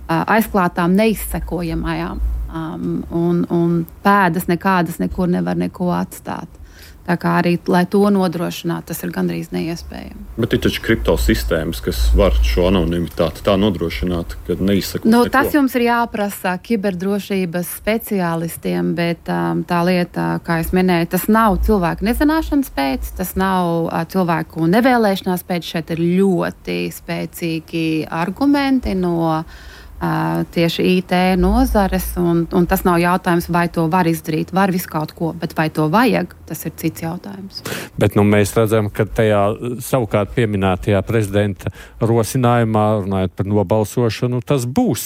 aizklātām, neizsekojamajām. Um, un, un pēdas nekādas nekur nevar neko atstāt. Tā kā arī, lai to nodrošinātu, tas ir gandrīz neiespējami. Bet ir taču kriptosistēmas, kas var šo anonimitāti tā nodrošināt, ka neizsakot Nu, neko. tas jums ir jāprasa kiberdrošības speciālistiem, bet um, tā lieta, kā es minēju, tas nav cilvēku nezināšanas pēc, tas nav uh, cilvēku nevēlēšanās pēc. Šeit ir ļoti spēcīgi argumenti no Uh, tieši I T nozares, un, un tas nav jautājums, vai to var izdarīt, var visu kaut ko, bet vai to vajag, tas ir cits jautājums. Bet nu, mēs redzam, ka tajā savukārt pieminētajā prezidenta rosinājumā, runājot par nobalsošanu, tas būs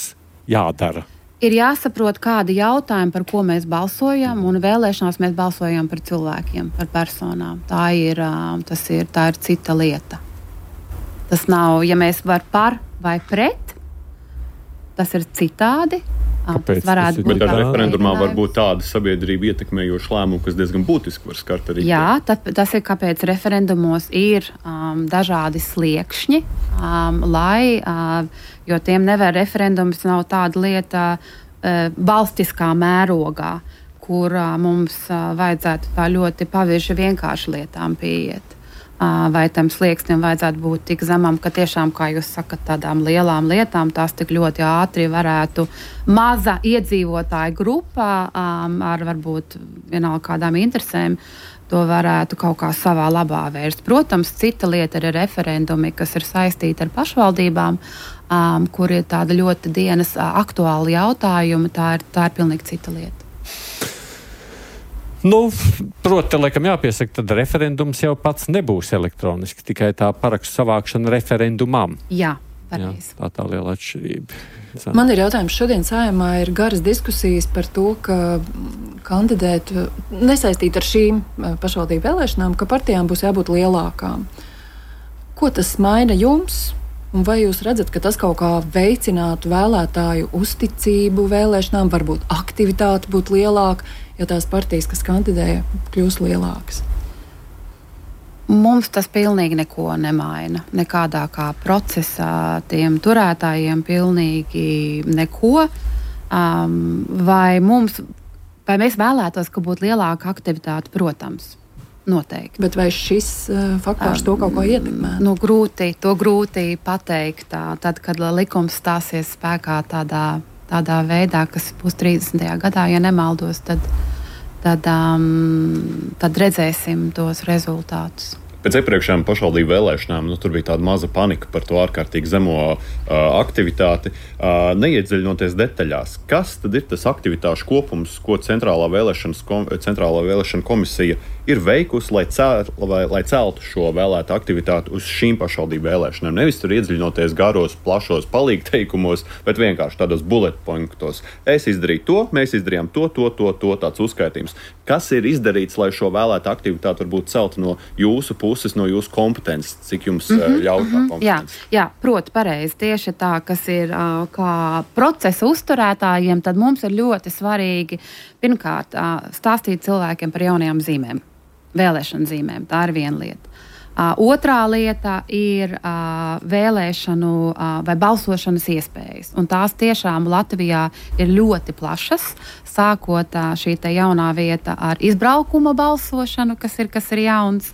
jādara. Ir jāsaprot, kādi jautājumi, par ko mēs balsojam, un vēlēšanās mēs balsojam par cilvēkiem, par personām. Tā ir, uh, tas ir, tā ir cita lieta. Tas nav, ja mēs var par vai pret, tas ir citādi. Kāpēc? Tas varētu būt Bet ar referendumā mēģinājums. var būt tāda sabiedrība ietekmējoša lēmuma, kas diezgan būtiski var skart arī. Jā, tad, tas ir kāpēc referendumos ir um, dažādi sliekšņi, um, lai, uh, jo tiem nevar referendums nav tāda lieta uh, valstiskā mērogā, kur uh, mums uh, vajadzētu tā ļoti pavirši vienkārši lietām pieiet. Vai tam slieksnim vajadzētu būt tik zemam, ka tiešām, kā jūs sakat, tādām lielām lietām tās tik ļoti ātri varētu maza iedzīvotāju grupā um, ar varbūt vienalga kādām interesēm to varētu kaut kā savā labā vērst. Protams, cita lieta ir referendumi, kas ir saistīti ar pašvaldībām, um, kur ir tāda ļoti dienas uh, aktuāla jautājuma. Tā ir, tā ir pilnīgi cita lieta. Nu, proti, laikam jāpiesaka, tad referendums jau pats nebūs elektroniski, tikai tā parakstu savākšana referendumam. Jā, Jā, pareizi. tā tā liela atšķirība. Man ir jautājums, šodien Saeimā ir garas diskusijas par to, ka kandidēt nesaistīt ar šīm pašvaldību vēlēšanām, ka partijām būs jābūt lielākām. Ko tas maina jums? Un vai jūs redzat, ka tas kaut kā veicinātu vēlētāju uzticību vēlēšanām, varbūt aktivitāte būtu lielāka, ja tās partijas, kas kandidēja, kļūs lielākas? Mums tas pilnīgi neko nemaina. Nekādā kā procesā tiem turētājiem pilnīgi neko. Um, vai, mums, vai mēs vēlētos, ka būtu lielāka aktivitāte? Protams, noteikti. Bet vai šis uh, faktors um, to kaut ko ietekmē? Nu, grūti, to grūti pateikt. Tā, tad, kad likums stāsies spēkā tādā, tādā veidā, kas būs trīsdesmitajā gadā, ja nemaldos, tad, tad, um, tad redzēsim tos rezultātus. Pēc iepriekšējām pašvaldību vēlēšanām nu, tur bija tāda maza panika par to ārkārtīgi zemo uh, aktivitāti. Uh, neiedziļinoties detaļās, kas tad ir tas aktivitāšu kopums, ko Centrālā vēlēšanas, kom, Centrālā vēlēšana komisija ir veikusi, lai, cēl, lai, lai celtu šo vēlētu aktivitāti uz šīm pašvaldību vēlēšanām. Nevis tur iedziļinoties garos, plašos palīgteikumos, bet vienkārši tādos bullet pointos. Es izdarīju to, mēs izdarījām to, to, to, to tāds uzskaitījums. Kas ir izdarīts, lai šo vēlētu aktivitāti varbūt celtu no jūsu puses, no jūsu kompetences, cik jums mm-hmm, ļauj tā kompetence? Jā, jā, proti pareizi. Tieši tā, kas ir uh, kā procesa uzturētājiem, tad mums ir ļoti svarīgi pirmkārt uh, stāstīt cilvēkiem par jaunajām zīmēm. Vēlēšanu zīmēm. Tā ir viena lieta. Uh, otrā lieta ir uh, vēlēšanu uh, vai balsošanas iespējas. Un tās tiešām Latvijā ir ļoti plašas, sākot uh, šī te jaunā vieta ar izbraukuma balsošanu, kas ir, kas ir jauns.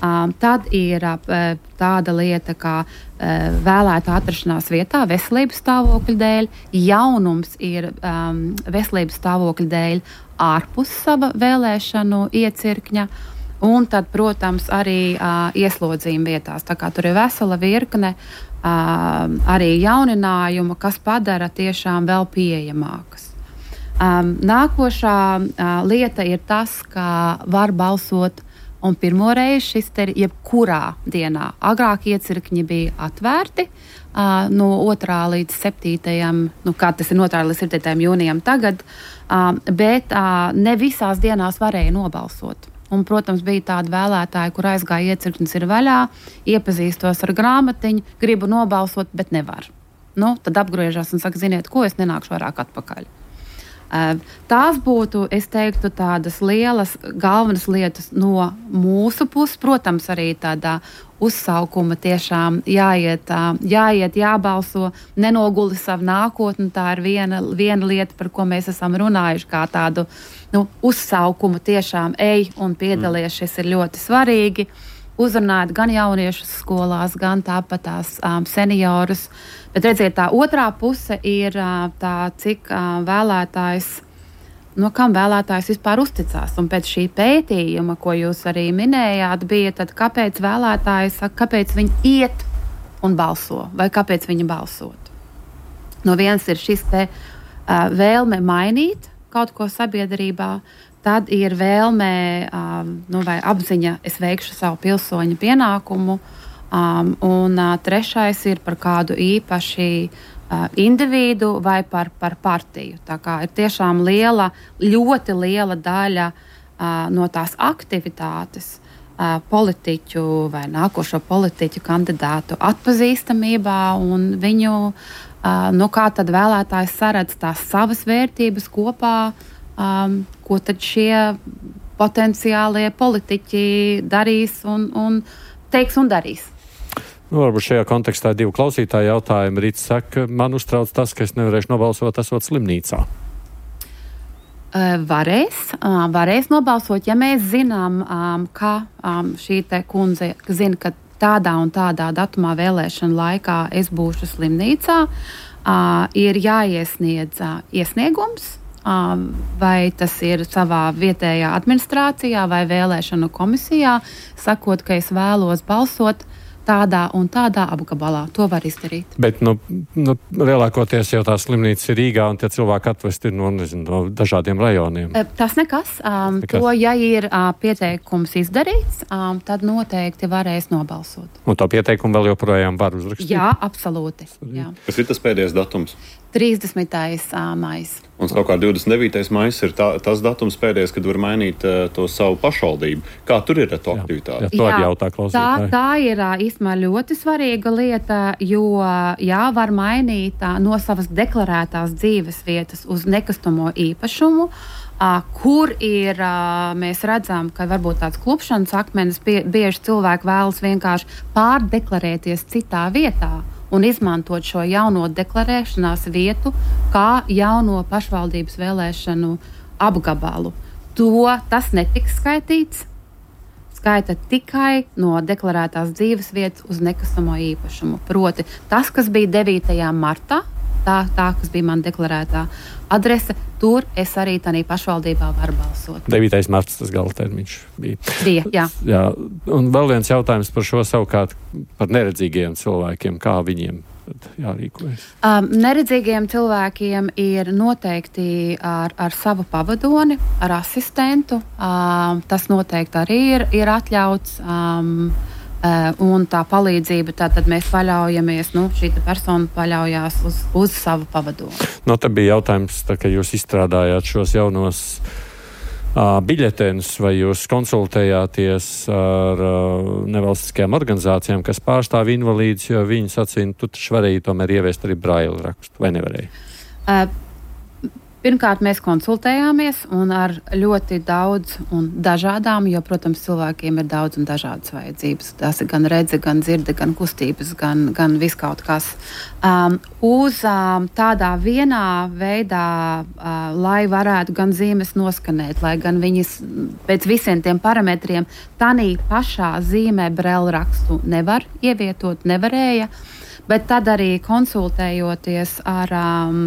Um, tad ir uh, tāda lieta, kā uh, vēlēta atrašanās vietā veselības stāvokļa dēļ. Jaunums ir um, veselības stāvokļa dēļ ārpus sava vēlēšanu iecirkņa. Un tad, protams, arī uh, ieslodzījuma vietās. Tā kā tur ir vesela virkne uh, arī jauninājumu, kas padara tiešām vēl pieejamākas. Um, nākošā uh, lieta ir tas, ka var balsot, un pirmo reizi šis te ir jebkurā dienā. Agrāk iecirkņi bija atvērti uh, no otrā līdz septītajam, nu kā tas ir no otrā līdz septītajam jūnijam tagad, uh, bet uh, ne visās dienās varēja nobalsot. Un, protams, bija tāda vēlētāja, kur aizgāja iecirknis ir vaļā, iepazīstos ar grāmatiņu, gribu nobalsot, bet nevar. Nu, tad apgriežās un saka, ziniet, ko es nenākšu vairāk atpakaļ. Tās būtu, es teiktu, tādas lielas, galvenas lietas no mūsu puses. Protams, arī tādā uzsaukuma tiešām jāiet, jāiet, jābalso, nenoguli savu nākotni. Tā ir viena, viena lieta, par ko mēs esam runājuši, kā tādu nu, uzsaukumu tiešām ej un piedalies. Šis ir ļoti svarīgi. Uzrunāt gan jauniešus skolās, gan tāpat tās um, seniorus. Bet redziet, tā otrā puse ir uh, tā, cik uh, vēlētājs, no kam vēlētājs vispār uzticās. Un pēc šī pētījuma, ko jūs arī minējāt, bija tad, kāpēc vēlētājs saka, kāpēc viņi iet un balso, vai kāpēc viņi balsot. No viens ir šis te uh, vēlme mainīt kaut ko sabiedrībā, tad ir vēlme um, nu, vai apziņa, es veikšu savu pilsoņu pienākumu, um, un uh, trešais ir par kādu īpaši uh, individu vai par, par partiju. Tā kā ir tiešām liela, ļoti liela daļa uh, no tās aktivitātes uh, politiķu vai nākošo politiķu kandidātu atpazīstamībā un viņu, uh, nu kā tad vēlētājs saredz tās savas vērtības kopā, Um, ko tad šie potenciālie politiķi darīs un, un teiks un darīs. Nu, varbūt šajā kontekstā divu klausītāju jautājumu. Rīts saka, man uztrauc tas, ka es nevarēšu nobalsot esot slimnīcā. Uh, varēs, uh, varēs nobalsot, ja mēs zinām, um, ka um, šī te kundze zina, ka tādā un tādā datumā vēlēšana laikā es būšu slimnīcā, uh, ir jāiesniedz uh, iesniegums. Vai tas ir savā vietējā administrācijā vai vēlēšanu komisijā, sakot, ka es vēlos balsot tādā un tādā apgabalā. To var izdarīt. Bet nu, nu, lielākoties jau tā slimnīca ir Rīgā un tie cilvēki atvesti no, nezinu, no dažādiem rajoniem. Tas nekas. Um, nekas. To, ja ir uh, pieteikums izdarīts, um, tad noteikti varēs nobalsot. Un to pieteikumu vēl joprojām var uzrakstīt? Jā, absolūti. Jā. Kas ir tas pēdējais datums? trīsdesmitais maijs. Un savukārt divdesmit devītais maijs ir tā, tas datums pēdējais, kad var mainīt uh, to savu pašvaldību. Kā tur ir ar to aktivitāti? Jā, jā, to arī jautā klausītāji. Tā, tā ir īstenībā ļoti svarīga lieta, jo jā, var mainīt uh, no savas deklarētās dzīves vietas uz nekustamo īpašumu, uh, kur ir, uh, mēs redzam, ka varbūt tāds klupšanas akmenis, bie, bieži cilvēki vēlas vienkārši pārdeklarēties citā vietā un izmantot šo jauno deklarēšanās vietu kā jauno pašvaldības vēlēšanu apgabalu. To tas netiks skaitīts. Skaita tikai no deklarētās dzīves vietas uz nekustamo īpašumu. Proti, tas, kas bija devītajā martā, tā, tā kas bija man deklarētā adrese, tur es arī tādā pašvaldībā varu balsot. devītais marts tas gala termiņš bija. Bija, jā. jā. Un vēl viens jautājums par šo savukārt par neredzīgiem cilvēkiem. Kā viņiem jārīkojas? Um, neredzīgiem cilvēkiem ir noteikti ar, ar savu pavadoni, ar asistentu. Um, tas noteikti arī ir, ir atļauts. Um, Uh, un tā palīdzība, tātad mēs paļaujamies, nu, šī persona paļaujās uz, uz savu pavadoni. No, te bija jautājums, tā, ka jūs izstrādājāt šos jaunos uh, biļetenus, vai jūs konsultējāties ar uh, nevalstiskajām organizācijām, kas pārstāv invalīdus, jo viņi sacīja, tu taču varēji tomēr ieviest arī braila rakstu, vai nevarēji? Uh, Pirmkārt, mēs konsultējāmies un ar ļoti daudz un dažādām, jo, protams, cilvēkiem ir daudz un dažādas vajadzības. Tas ir gan redze, gan dzirde, gan kustības, gan, gan viskaut kas. Um, uz um, tādā vienā veidā, uh, lai varētu gan zīmes noskanēt, lai gan viņas pēc visiem tiem parametriem tanī pašā zīmē brēlu rakstu nevar ievietot, nevarēja. Bet tad arī konsultējoties ar, um,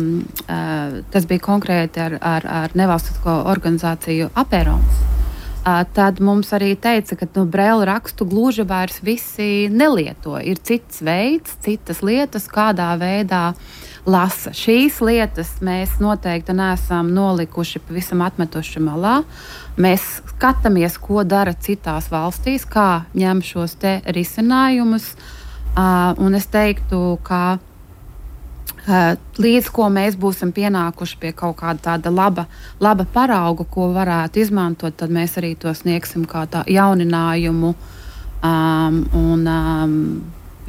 uh, tas bija konkrēti ar, ar, ar nevalstisko organizāciju Aperons, uh, tad mums arī teica, ka nu, brēlu rakstu gluži vairs visi nelieto. Ir cits veids, citas lietas, kādā veidā lasa. Šīs lietas mēs noteikti neesam nolikuši, pavisam atmetuši malā. Mēs skatāmies, ko dara citās valstīs, kā ņem šos te risinājumus. Uh, un es teiktu, ka uh, līdz ko mēs būsim pienākuši pie kaut kāda tāda laba, laba parauga, ko varētu izmantot, tad mēs arī to sniegsim kā tā jauninājumu. Um, un, um,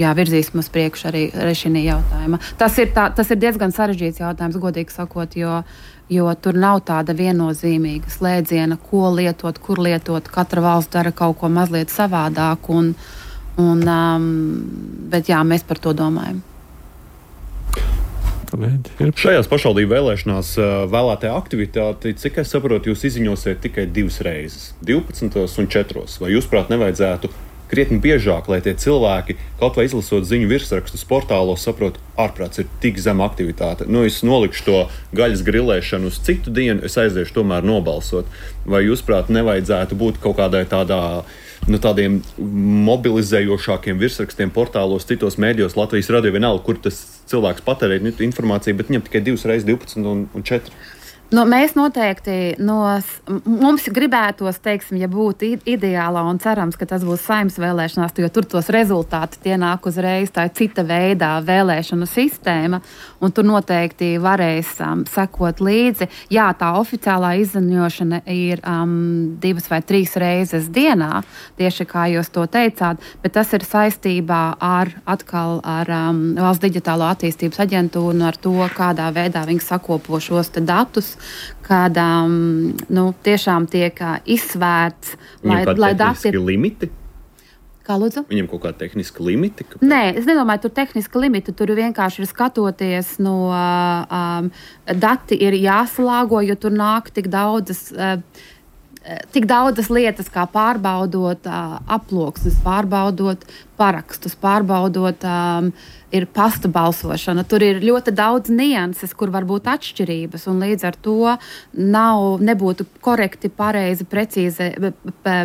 jā, virzīsim uz priekšu arī, arī šī jautājuma. Tas ir, tā, tas ir diezgan sarežģīts jautājums, godīgi sakot, jo, jo tur nav tāda viennozīmīga slēdziena, ko lietot, kur lietot. Katra valsts dara kaut ko mazliet savādāk, un, un, um, bet jā, mēs par to domājam. Šajās pašvaldību vēlēšanās vēlētajā aktivitāte, cik es saprotu, jūs izziņosiet tikai divas reizes, divpadsmitos un četros. Vai jūs, prāt, nevajadzētu krietni biežāk, lai tie cilvēki, kaut vai izlasot ziņu virsrakstus portālos, saprot, ārprāts ir tik zema aktivitāte. Nu, es nolikšu to gaļas grilēšanu uz citu dienu, es aiziešu tomēr nobalsot. Vai jūs, prāt, nevajadzētu būt kaut kādai tādā, nu, tādiem mobilizējošākiem virsrakstiem portālos, citos mēdījos, Latvijas radio vienalga, kur tas cilvēks patērē informāciju, bet viņam tikai divas reizes divpadsmit un, un četri. Nu, mēs noteikti, no, mums gribētos, teiksim, ja būtu ideālā un cerams, ka tas būs Saeimas vēlēšanās, jo tur tos rezultāti tie nāk uzreiz, tā ir cita veidā vēlēšanu sistēma, un tur noteikti varēs um, sekot līdzi. Jā, tā oficiālā izziņošana ir um, divas vai trīs reizes dienā, tieši kā jūs to teicāt, bet tas ir saistībā ar atkal ar um, Valsts digitālo attīstības aģentūru un ar to, kādā veidā viņi sakopo šos te datus, kad um, nu, tiešām tiek uh, izsvērts, lai, lai dati... Viņam limiti? Kā lūdzu? Viņam kaut kā tehniski limiti? Kāpēc? Nē, es nedomāju, tur tehniski limiti, tur vienkārši ir skatoties no um, dati ir jāsalāgo, jo tur nāk tik daudzas... Uh, Tik daudzas lietas, kā pārbaudot uh, aploksnes, pārbaudot parakstus, pārbaudot um, ir pasta balsošana. Tur ir ļoti daudz nianses, kur var būt atšķirības, un līdz ar to nav, nebūtu korekti, pareizi, precīzi p, p,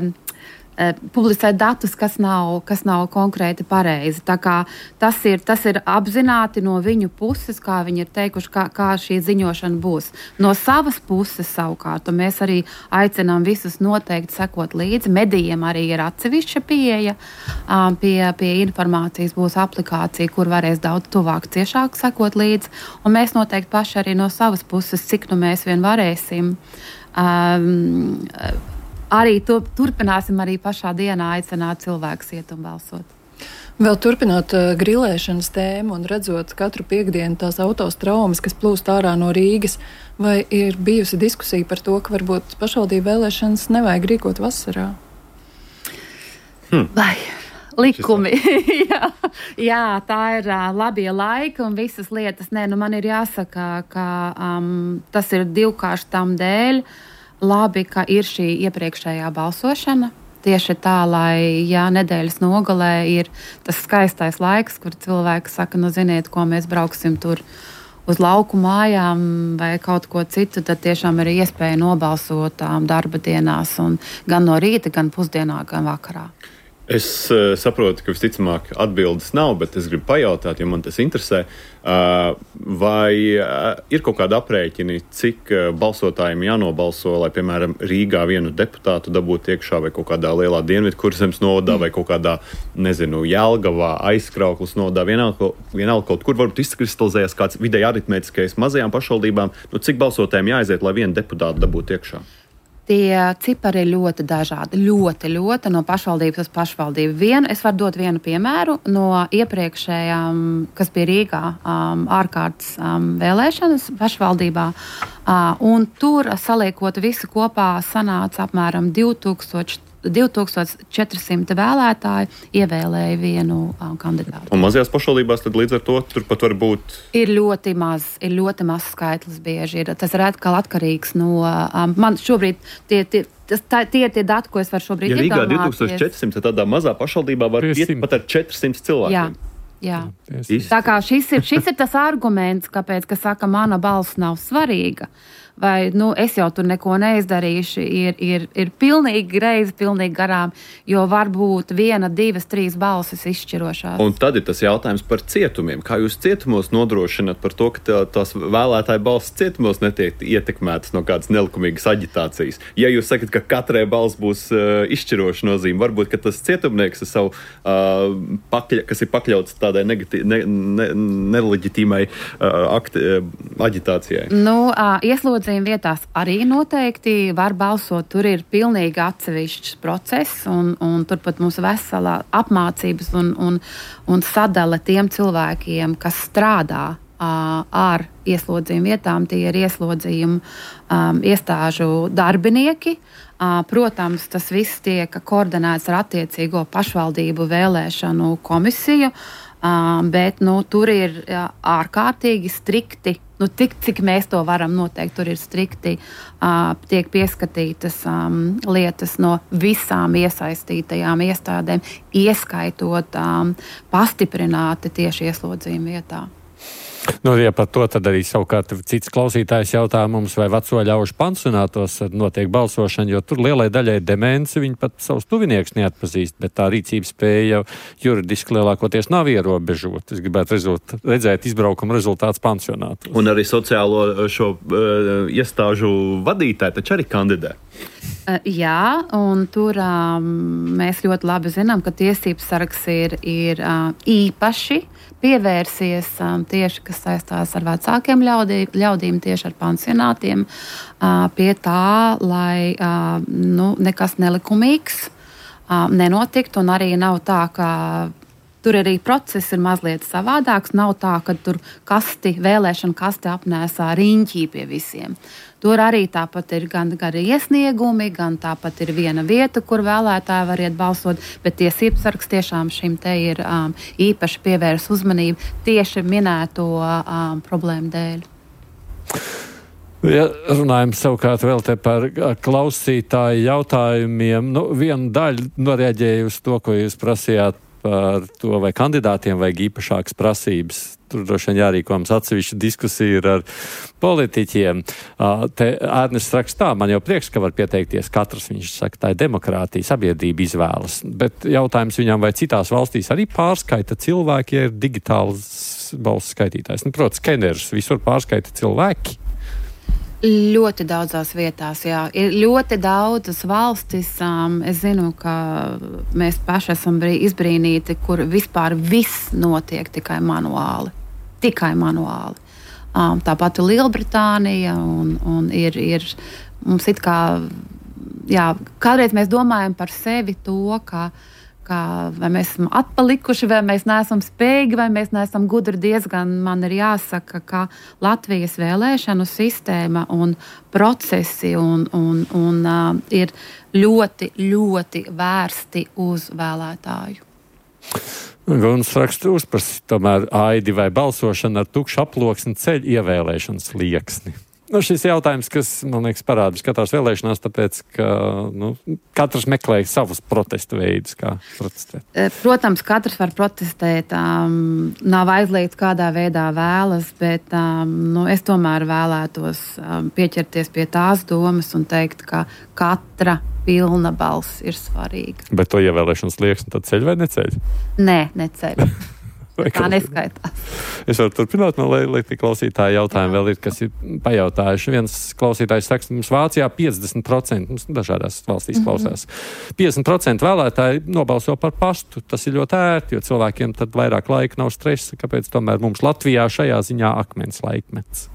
publicēt datus, kas nav, kas nav konkrēti pareizi. Tā kā tas ir, tas ir apzināti no viņu puses, kā viņi ir teikuši, kā, kā šī ziņošana būs. No savas puses savukārt, un mēs arī aicinām visus noteikti sekot līdzi. Medijiem arī ir atsevišķa pieeja um, pie, pie informācijas, būs aplikācija, kur varēs daudz tuvāk, ciešāk sekot līdzi, un mēs noteikti paši arī no savas puses, cik nu mēs vien varēsim, um, arī to, turpināsim arī pašā dienā aicināt cilvēkus iet un balsot. Vēl turpinot uh, grilēšanas tēmu un redzot katru piekdienu tās autostraumas, kas plūst ārā no Rīgas, vai ir bijusi diskusija par to, ka varbūt pašvaldību vēlēšanas nevajag rīkot vasarā? Hmm. Vai likumi. jā, jā, tā ir uh, labie laiki un visas lietas. Nē, nu man ir jāsaka, ka um, tas ir divkārši tam dēļ. Labi, ka ir šī iepriekšējā balsošana. Tieši tā, lai jā, nedēļas nogalē ir tas skaistais laiks, kur cilvēki saka, nu ziniet, ko mēs brauksim tur uz lauku mājām vai kaut ko citu, tad tiešām ir iespēja nobalsot um, darba dienās, un gan no rīta, gan pusdienā, gan vakarā. Es uh, saprotu, ka visticamāk atbildes nav, bet es gribu pajautāt, jo man tas interesē, uh, vai uh, ir kaut kāda aprēķini, cik uh, balsotājiem jānobalso, lai, piemēram, Rīgā vienu deputātu dabūtu iekšā vai kaut kādā lielā Dienvidkurzemes novadā mm. vai kaut kādā, nezinu, Jelgavā, Aizkrauklas novadā, vienalga, vienalga kaut kur varbūt izkristalizējas kāds vidēji aritmētiskais mazajām pašvaldībām, nu cik balsotājiem jāaiziet, lai vienu deputātu dabūtu iekšā? Tie cipari ir ļoti dažādi, ļoti, ļoti no pašvaldības uz pašvaldību. Vienu, es varu dot vienu piemēru no iepriekšējām, kas bija Rīgā, um, ārkārtas um, vēlēšanas pašvaldībā, uh, un tur saliekot visu kopā sanāca apmēram divi tūkstoši četri simti vēlētāji ievēlēja vienu um, kandidātu. Un mazajās pašvaldībās tad līdz ar to turpat var būt? Ir ļoti maz, ir ļoti maz skaitlis bieži. Ir, tas ir atkal atkarīgs no, um, man šobrīd tie, tie, tas, tā, tie ir tie dati, ko es varu šobrīd ja iedomāties. Ja Rīgā divi tūkstoši četri simti, tad tādā mazā pašvaldībā var iet pat ar četri simti cilvēkiem. Jā. Jā. Tā kā šis ir, šis ir tas arguments, kāpēc, ka saka, mana balss nav svarīga. Vai, nu, es jau tur neko neizdarīšu, ir, ir, ir pilnīgi greizi, pilnīgi garām, jo varbūt viena, divas, trīs balsis izšķirošās. Un tad ir tas jautājums par cietumiem. Kā jūs cietumos nodrošināt par to, ka tā, tās vēlētāju balsis cietumos netiek ietekmētas no kādas nelikumīgas aģitācijas? Ja jūs sakat, ka katrai balss būs uh, izšķiroša nozīme, varbūt, ka tas cietumnieks, savu, uh, pakļa, kas ir pakļauts tādai negati, ne, ne, neleģitīmai uh, akti, uh, aģitācijai? Nu, uh, ieslodz ieslodzījuma vietās arī noteikti var balsot. Tur ir pilnīgi atsevišķs process, un, un turpat mums veselā apmācības un, un, un sadale tiem cilvēkiem, kas strādā uh, ar ieslodzījuma vietām. Tie ir ieslodzījuma um, iestāžu darbinieki. Uh, protams, tas viss tiek koordinēts ar attiecīgo pašvaldību vēlēšanu komisiju. Uh, bet nu, tur ir jā, ārkārtīgi strikti, nu, tik, cik mēs to varam noteikt, tur ir strikti, uh, tiek pieskatītas um, lietas no visām iesaistītajām iestādēm, ieskaitot um, pastiprināti tieši ieslodzījuma vietā. Nu, ja par to tad arī savukārt cits klausītājs jautā mums, vai veco ļaužu pansionātos notiek balsošana, jo tur lielai daļai demenci viņi pat savus tuvinieks neatpazīst, bet tā rīcības spēja juridiski lielākoties nav ierobežota. Es gribētu rezult, redzēt izbraukuma rezultāts pansionātos. Un arī sociālo šo uh, iestāžu vadītāji taču arī kandidē. Uh, jā, un tur um, mēs ļoti labi zinām, ka tiesības sargs ir, ir uh, īpaši pievērsies um, tieši, kas saistās ar vecākiem ļaudī, ļaudīm, tieši ar pansionātiem, uh, pie tā, lai uh, nu, nekas nelikumīgs uh, nenotiktu, un arī nav tā, ka tur arī process ir mazliet savādāks. Nav tā, ka tur kasti, vēlēšana kasti apnēsā riņķī pie visiem. Tur arī tāpat ir gan, gan iesniegumi, gan tāpat ir viena vieta, kur vēlētāji var iet balsot, bet tiesības sargs tiešām šim te ir um, īpaši pievērs uzmanību tieši minēto um, problēmu dēļ. Ja runājam savukārt vēl te par klausītāju jautājumiem, nu, viena daļa noreaģēja uz to, ko jūs prasījāt par to, vai kandidātiem vajag īpašākas prasības. Tur droši vien jārīko mums atsevišķa diskusija ir ar politiķiem. Te Ērnests rakstā, man jau prieks, ka var pieteikties katrs, viņš saka, tā ir demokrātija, sabiedrība izvēlas. Bet jautājums viņam, vai citās valstīs arī pārskaita cilvēki, ja ir digitāls balss skaitītājs. Nu, protams, skenerus visur pārskaita cilvēki. Ļoti daudzās vietās, jā. Ir ļoti daudzas valstis. Um, es zinu, ka mēs paši esam izbrīnīti, kur vispār viss notiek tikai manuāli. Tikai manuāli. Um, tāpat ir Lielbritānija un, un ir, ir mums it kā, jā, kādreiz mēs domājam par sevi to, ka Kā, vai mēs esam atpalikuši, vai mēs neesam spējīgi, vai mēs neesam gudri. Diezgan man ir jāsaka, ka Latvijas vēlēšanu sistēma un procesi un, un, un, uh, ir ļoti, ļoti vērsti uz vēlētāju. Guns raksta uzprasi, tomēr aidi vai balsošana ar tukšu aploksni ceļ ievēlēšanas lieksni. Nu, šis jautājums, kas, man liekas, parādās katrās vēlēšanās, tāpēc, ka nu, katrs meklē savus protesta veidus, kā protestēt. Protams, katrs var protestēt, um, nav aizliegts, kādā veidā vēlas, bet um, nu, es tomēr vēlētos um, pieķerties pie tās domas un teikt, ka katra pilna balss ir svarīga. Bet to ievēlēšanas lieksni tad ceļ vai neceļ? Nē, neceļ. Tā neskaitās. Es varu turpināt, man, lai, lai tie klausītāji jautājumi vēl ir, kas ir pajautājuši. Viens klausītājs saka, mums Vācijā piecdesmit procenti, mums dažādās valstīs klausās, piecdesmit procenti vēlētāji nobalso par pastu. Tas ir ļoti ērti, jo cilvēkiem tad vairāk laika nav stresa, kāpēc tomēr mums Latvijā šajā ziņā akmens laikmets.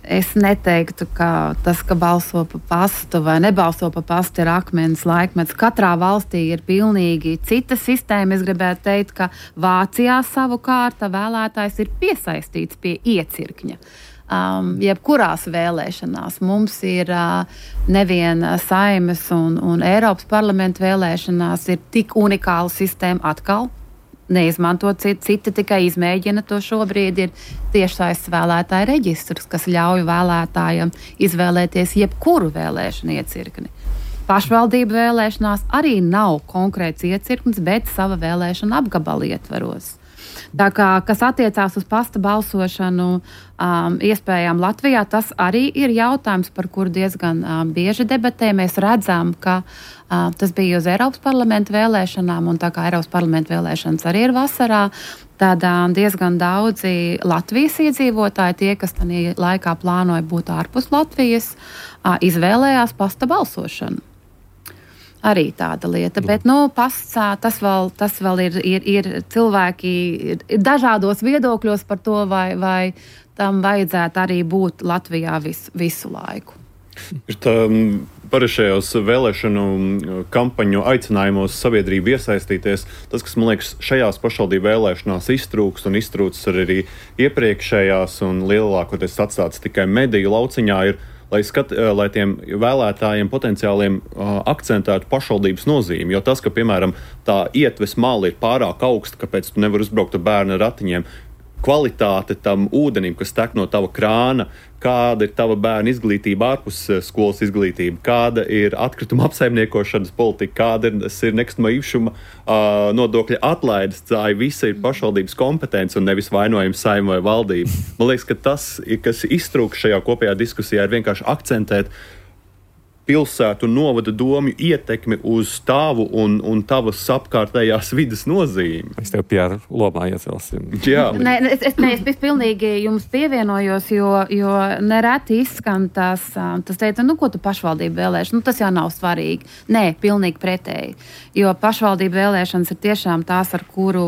Es neteiktu, ka tas, ka balso pa pastu vai nebalso pa pastu, ir akmens laikmets. Katrā valstī ir pilnīgi cita sistēma. Es gribētu teikt, ka Vācijā savukārt vēlētājs ir piesaistīts pie iecirkņa. Um, jebkurās vēlēšanās mums ir uh, nevien Saeimas un, un Eiropas parlamenta vēlēšanās ir tik unikāla sistēma atkal. Neizmantot citi, citi tikai izmēģina to šobrīd, ir tiešsaistes vēlētāju reģistrs, kas ļauj vēlētājiem izvēlēties jebkuru vēlēšanu iecirkni. Pašvaldību vēlēšanās arī nav konkrēts iecirknis, bet sava vēlēšana apgabala ietveros. Tā kā, kas attiecās uz pasta balsošanu um, iespējām Latvijā, tas arī ir jautājums, par kuru diezgan um, bieži debatē. Mēs redzam, ka uh, tas bija uz Eiropas parlamenta vēlēšanām, un tā kā Eiropas parlamenta vēlēšanas arī ir vasarā, tad um, diezgan daudzi Latvijas iedzīvotāji, tie, kas tajā laikā plānoja būt ārpus Latvijas, uh, izvēlējās pasta balsošanu. Arī tāda lieta, bet nu, pasts, tas vēl, tas vēl ir, ir, ir cilvēki ir dažādos viedokļos par to, vai, vai tam vajadzētu arī būt Latvijā vis, visu laiku. Ir tā parešajos vēlēšanu kampaņu aicinājumos sabiedrību iesaistīties. Tas, kas, man liekas, šajās pašvaldību vēlēšanās iztrūkst un iztrūkst arī iepriekšējās un lielākoties atstāts tikai mediju lauciņā, ir, lai, skat, lai tiem vēlētājiem potenciāliem uh, akcentētu pašvaldības nozīmi. Jo tas, ka, piemēram, tā ietves mala ir pārāk augsta, kāpēc tu nevar uzbraukt ar bērnu ratiņiem, kvalitāte tam ūdenim, kas tek no tava krāna, kāda ir tava bērna izglītība ārpus skolas izglītība, kāda ir atkrituma apsaimniekošanas politika, kāda ir, ir nekustamā īpašuma uh, nodokļa atlaides, tā visa ir pašvaldības kompetence un nevis vainojums Saeima vai valdība. Man liekas, ka tas, kas iztrūkst šajā kopējā diskusijā, ir vienkārši akcentēt pilsētu un novada domju ietekmi uz tavu un, un tavas apkārtējās vidas nozīmi. Es tev pie lomā iecelsim. Jā. Nē, es, es, ne, es pilnīgi jums pievienojos, jo, jo nereti izskan tas, tas teica, nu, ko tu pašvaldību vēlēšana, nu, tas jau nav svarīgi. Nē, pilnīgi pretēji, jo pašvaldību vēlēšanas ir tiešām tās, ar kuru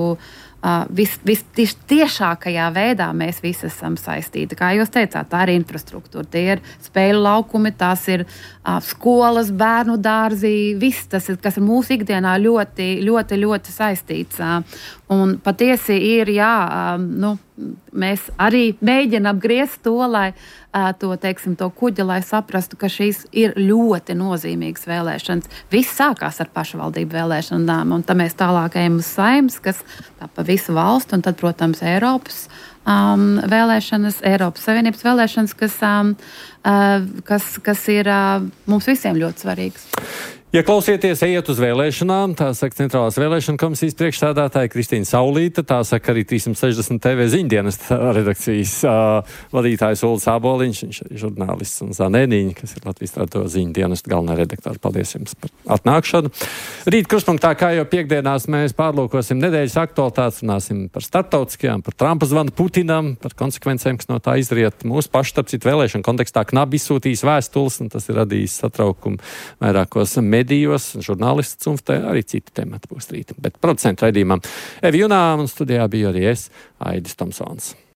Uh, vis, vis, vis tiešākajā veidā mēs visi esam saistīti. Kā jūs teicāt, tā ir infrastruktūra, tie ir spēļu laukumi, tās ir uh, skolas, bērnu dārzi, viss tas, ir, kas ir mūsu ikdienā ļoti, ļoti, ļoti saistīts. Uh, un patiesi ir, jā, uh, nu, mēs arī mēģinām griezt to, lai uh, to, teiksim, to kuģi, lai saprastu, ka šīs ir ļoti nozīmīgas vēlēšanas. Viss sākās ar pašvaldību vēlēšanām, un tad mēs tālāk ejam uz Saeimas, kas tā pa visu valstu, un tad, protams, Eiropas um, vēlēšanas, Eiropas Savienības vēlēšanas, kas, um, uh, kas, kas ir uh, mums visiem ļoti svarīgas. Ja klausieties, ejiet uz vēlēšanām, tā saka Centrālās vēlēšana komisijas priekšsēdētāja Kristīna Saulīte, tā saka arī trīsimt sešdesmit T V ziņdienas redakcijas uh, vadītājs Uldis Āboliņš, viņš ir žurnālists, un Zanēniņa, kas ir Latvijas radio ziņdienas galvenā redaktora. Paldies jums par atnākšanu. Rīt kruspunktā, kā jau piekdienās, mēs pārlūkosim nedēļas aktualitātes, runāsim par starptautiskajām, par Trumpa zvanu Putinam, par konsekvencēm, kas no tā izriet. Mūsu pašu, starp citu, vēlēšanu kontekstā knabi izsūtījis vēstules, un tas ir radījis satraukumu vairākos medijos, žurnālists un arī citi temati būs rīt. Bet producentu raidījumam Evi Junām un studijā bija arī es, Aidis Tomsons.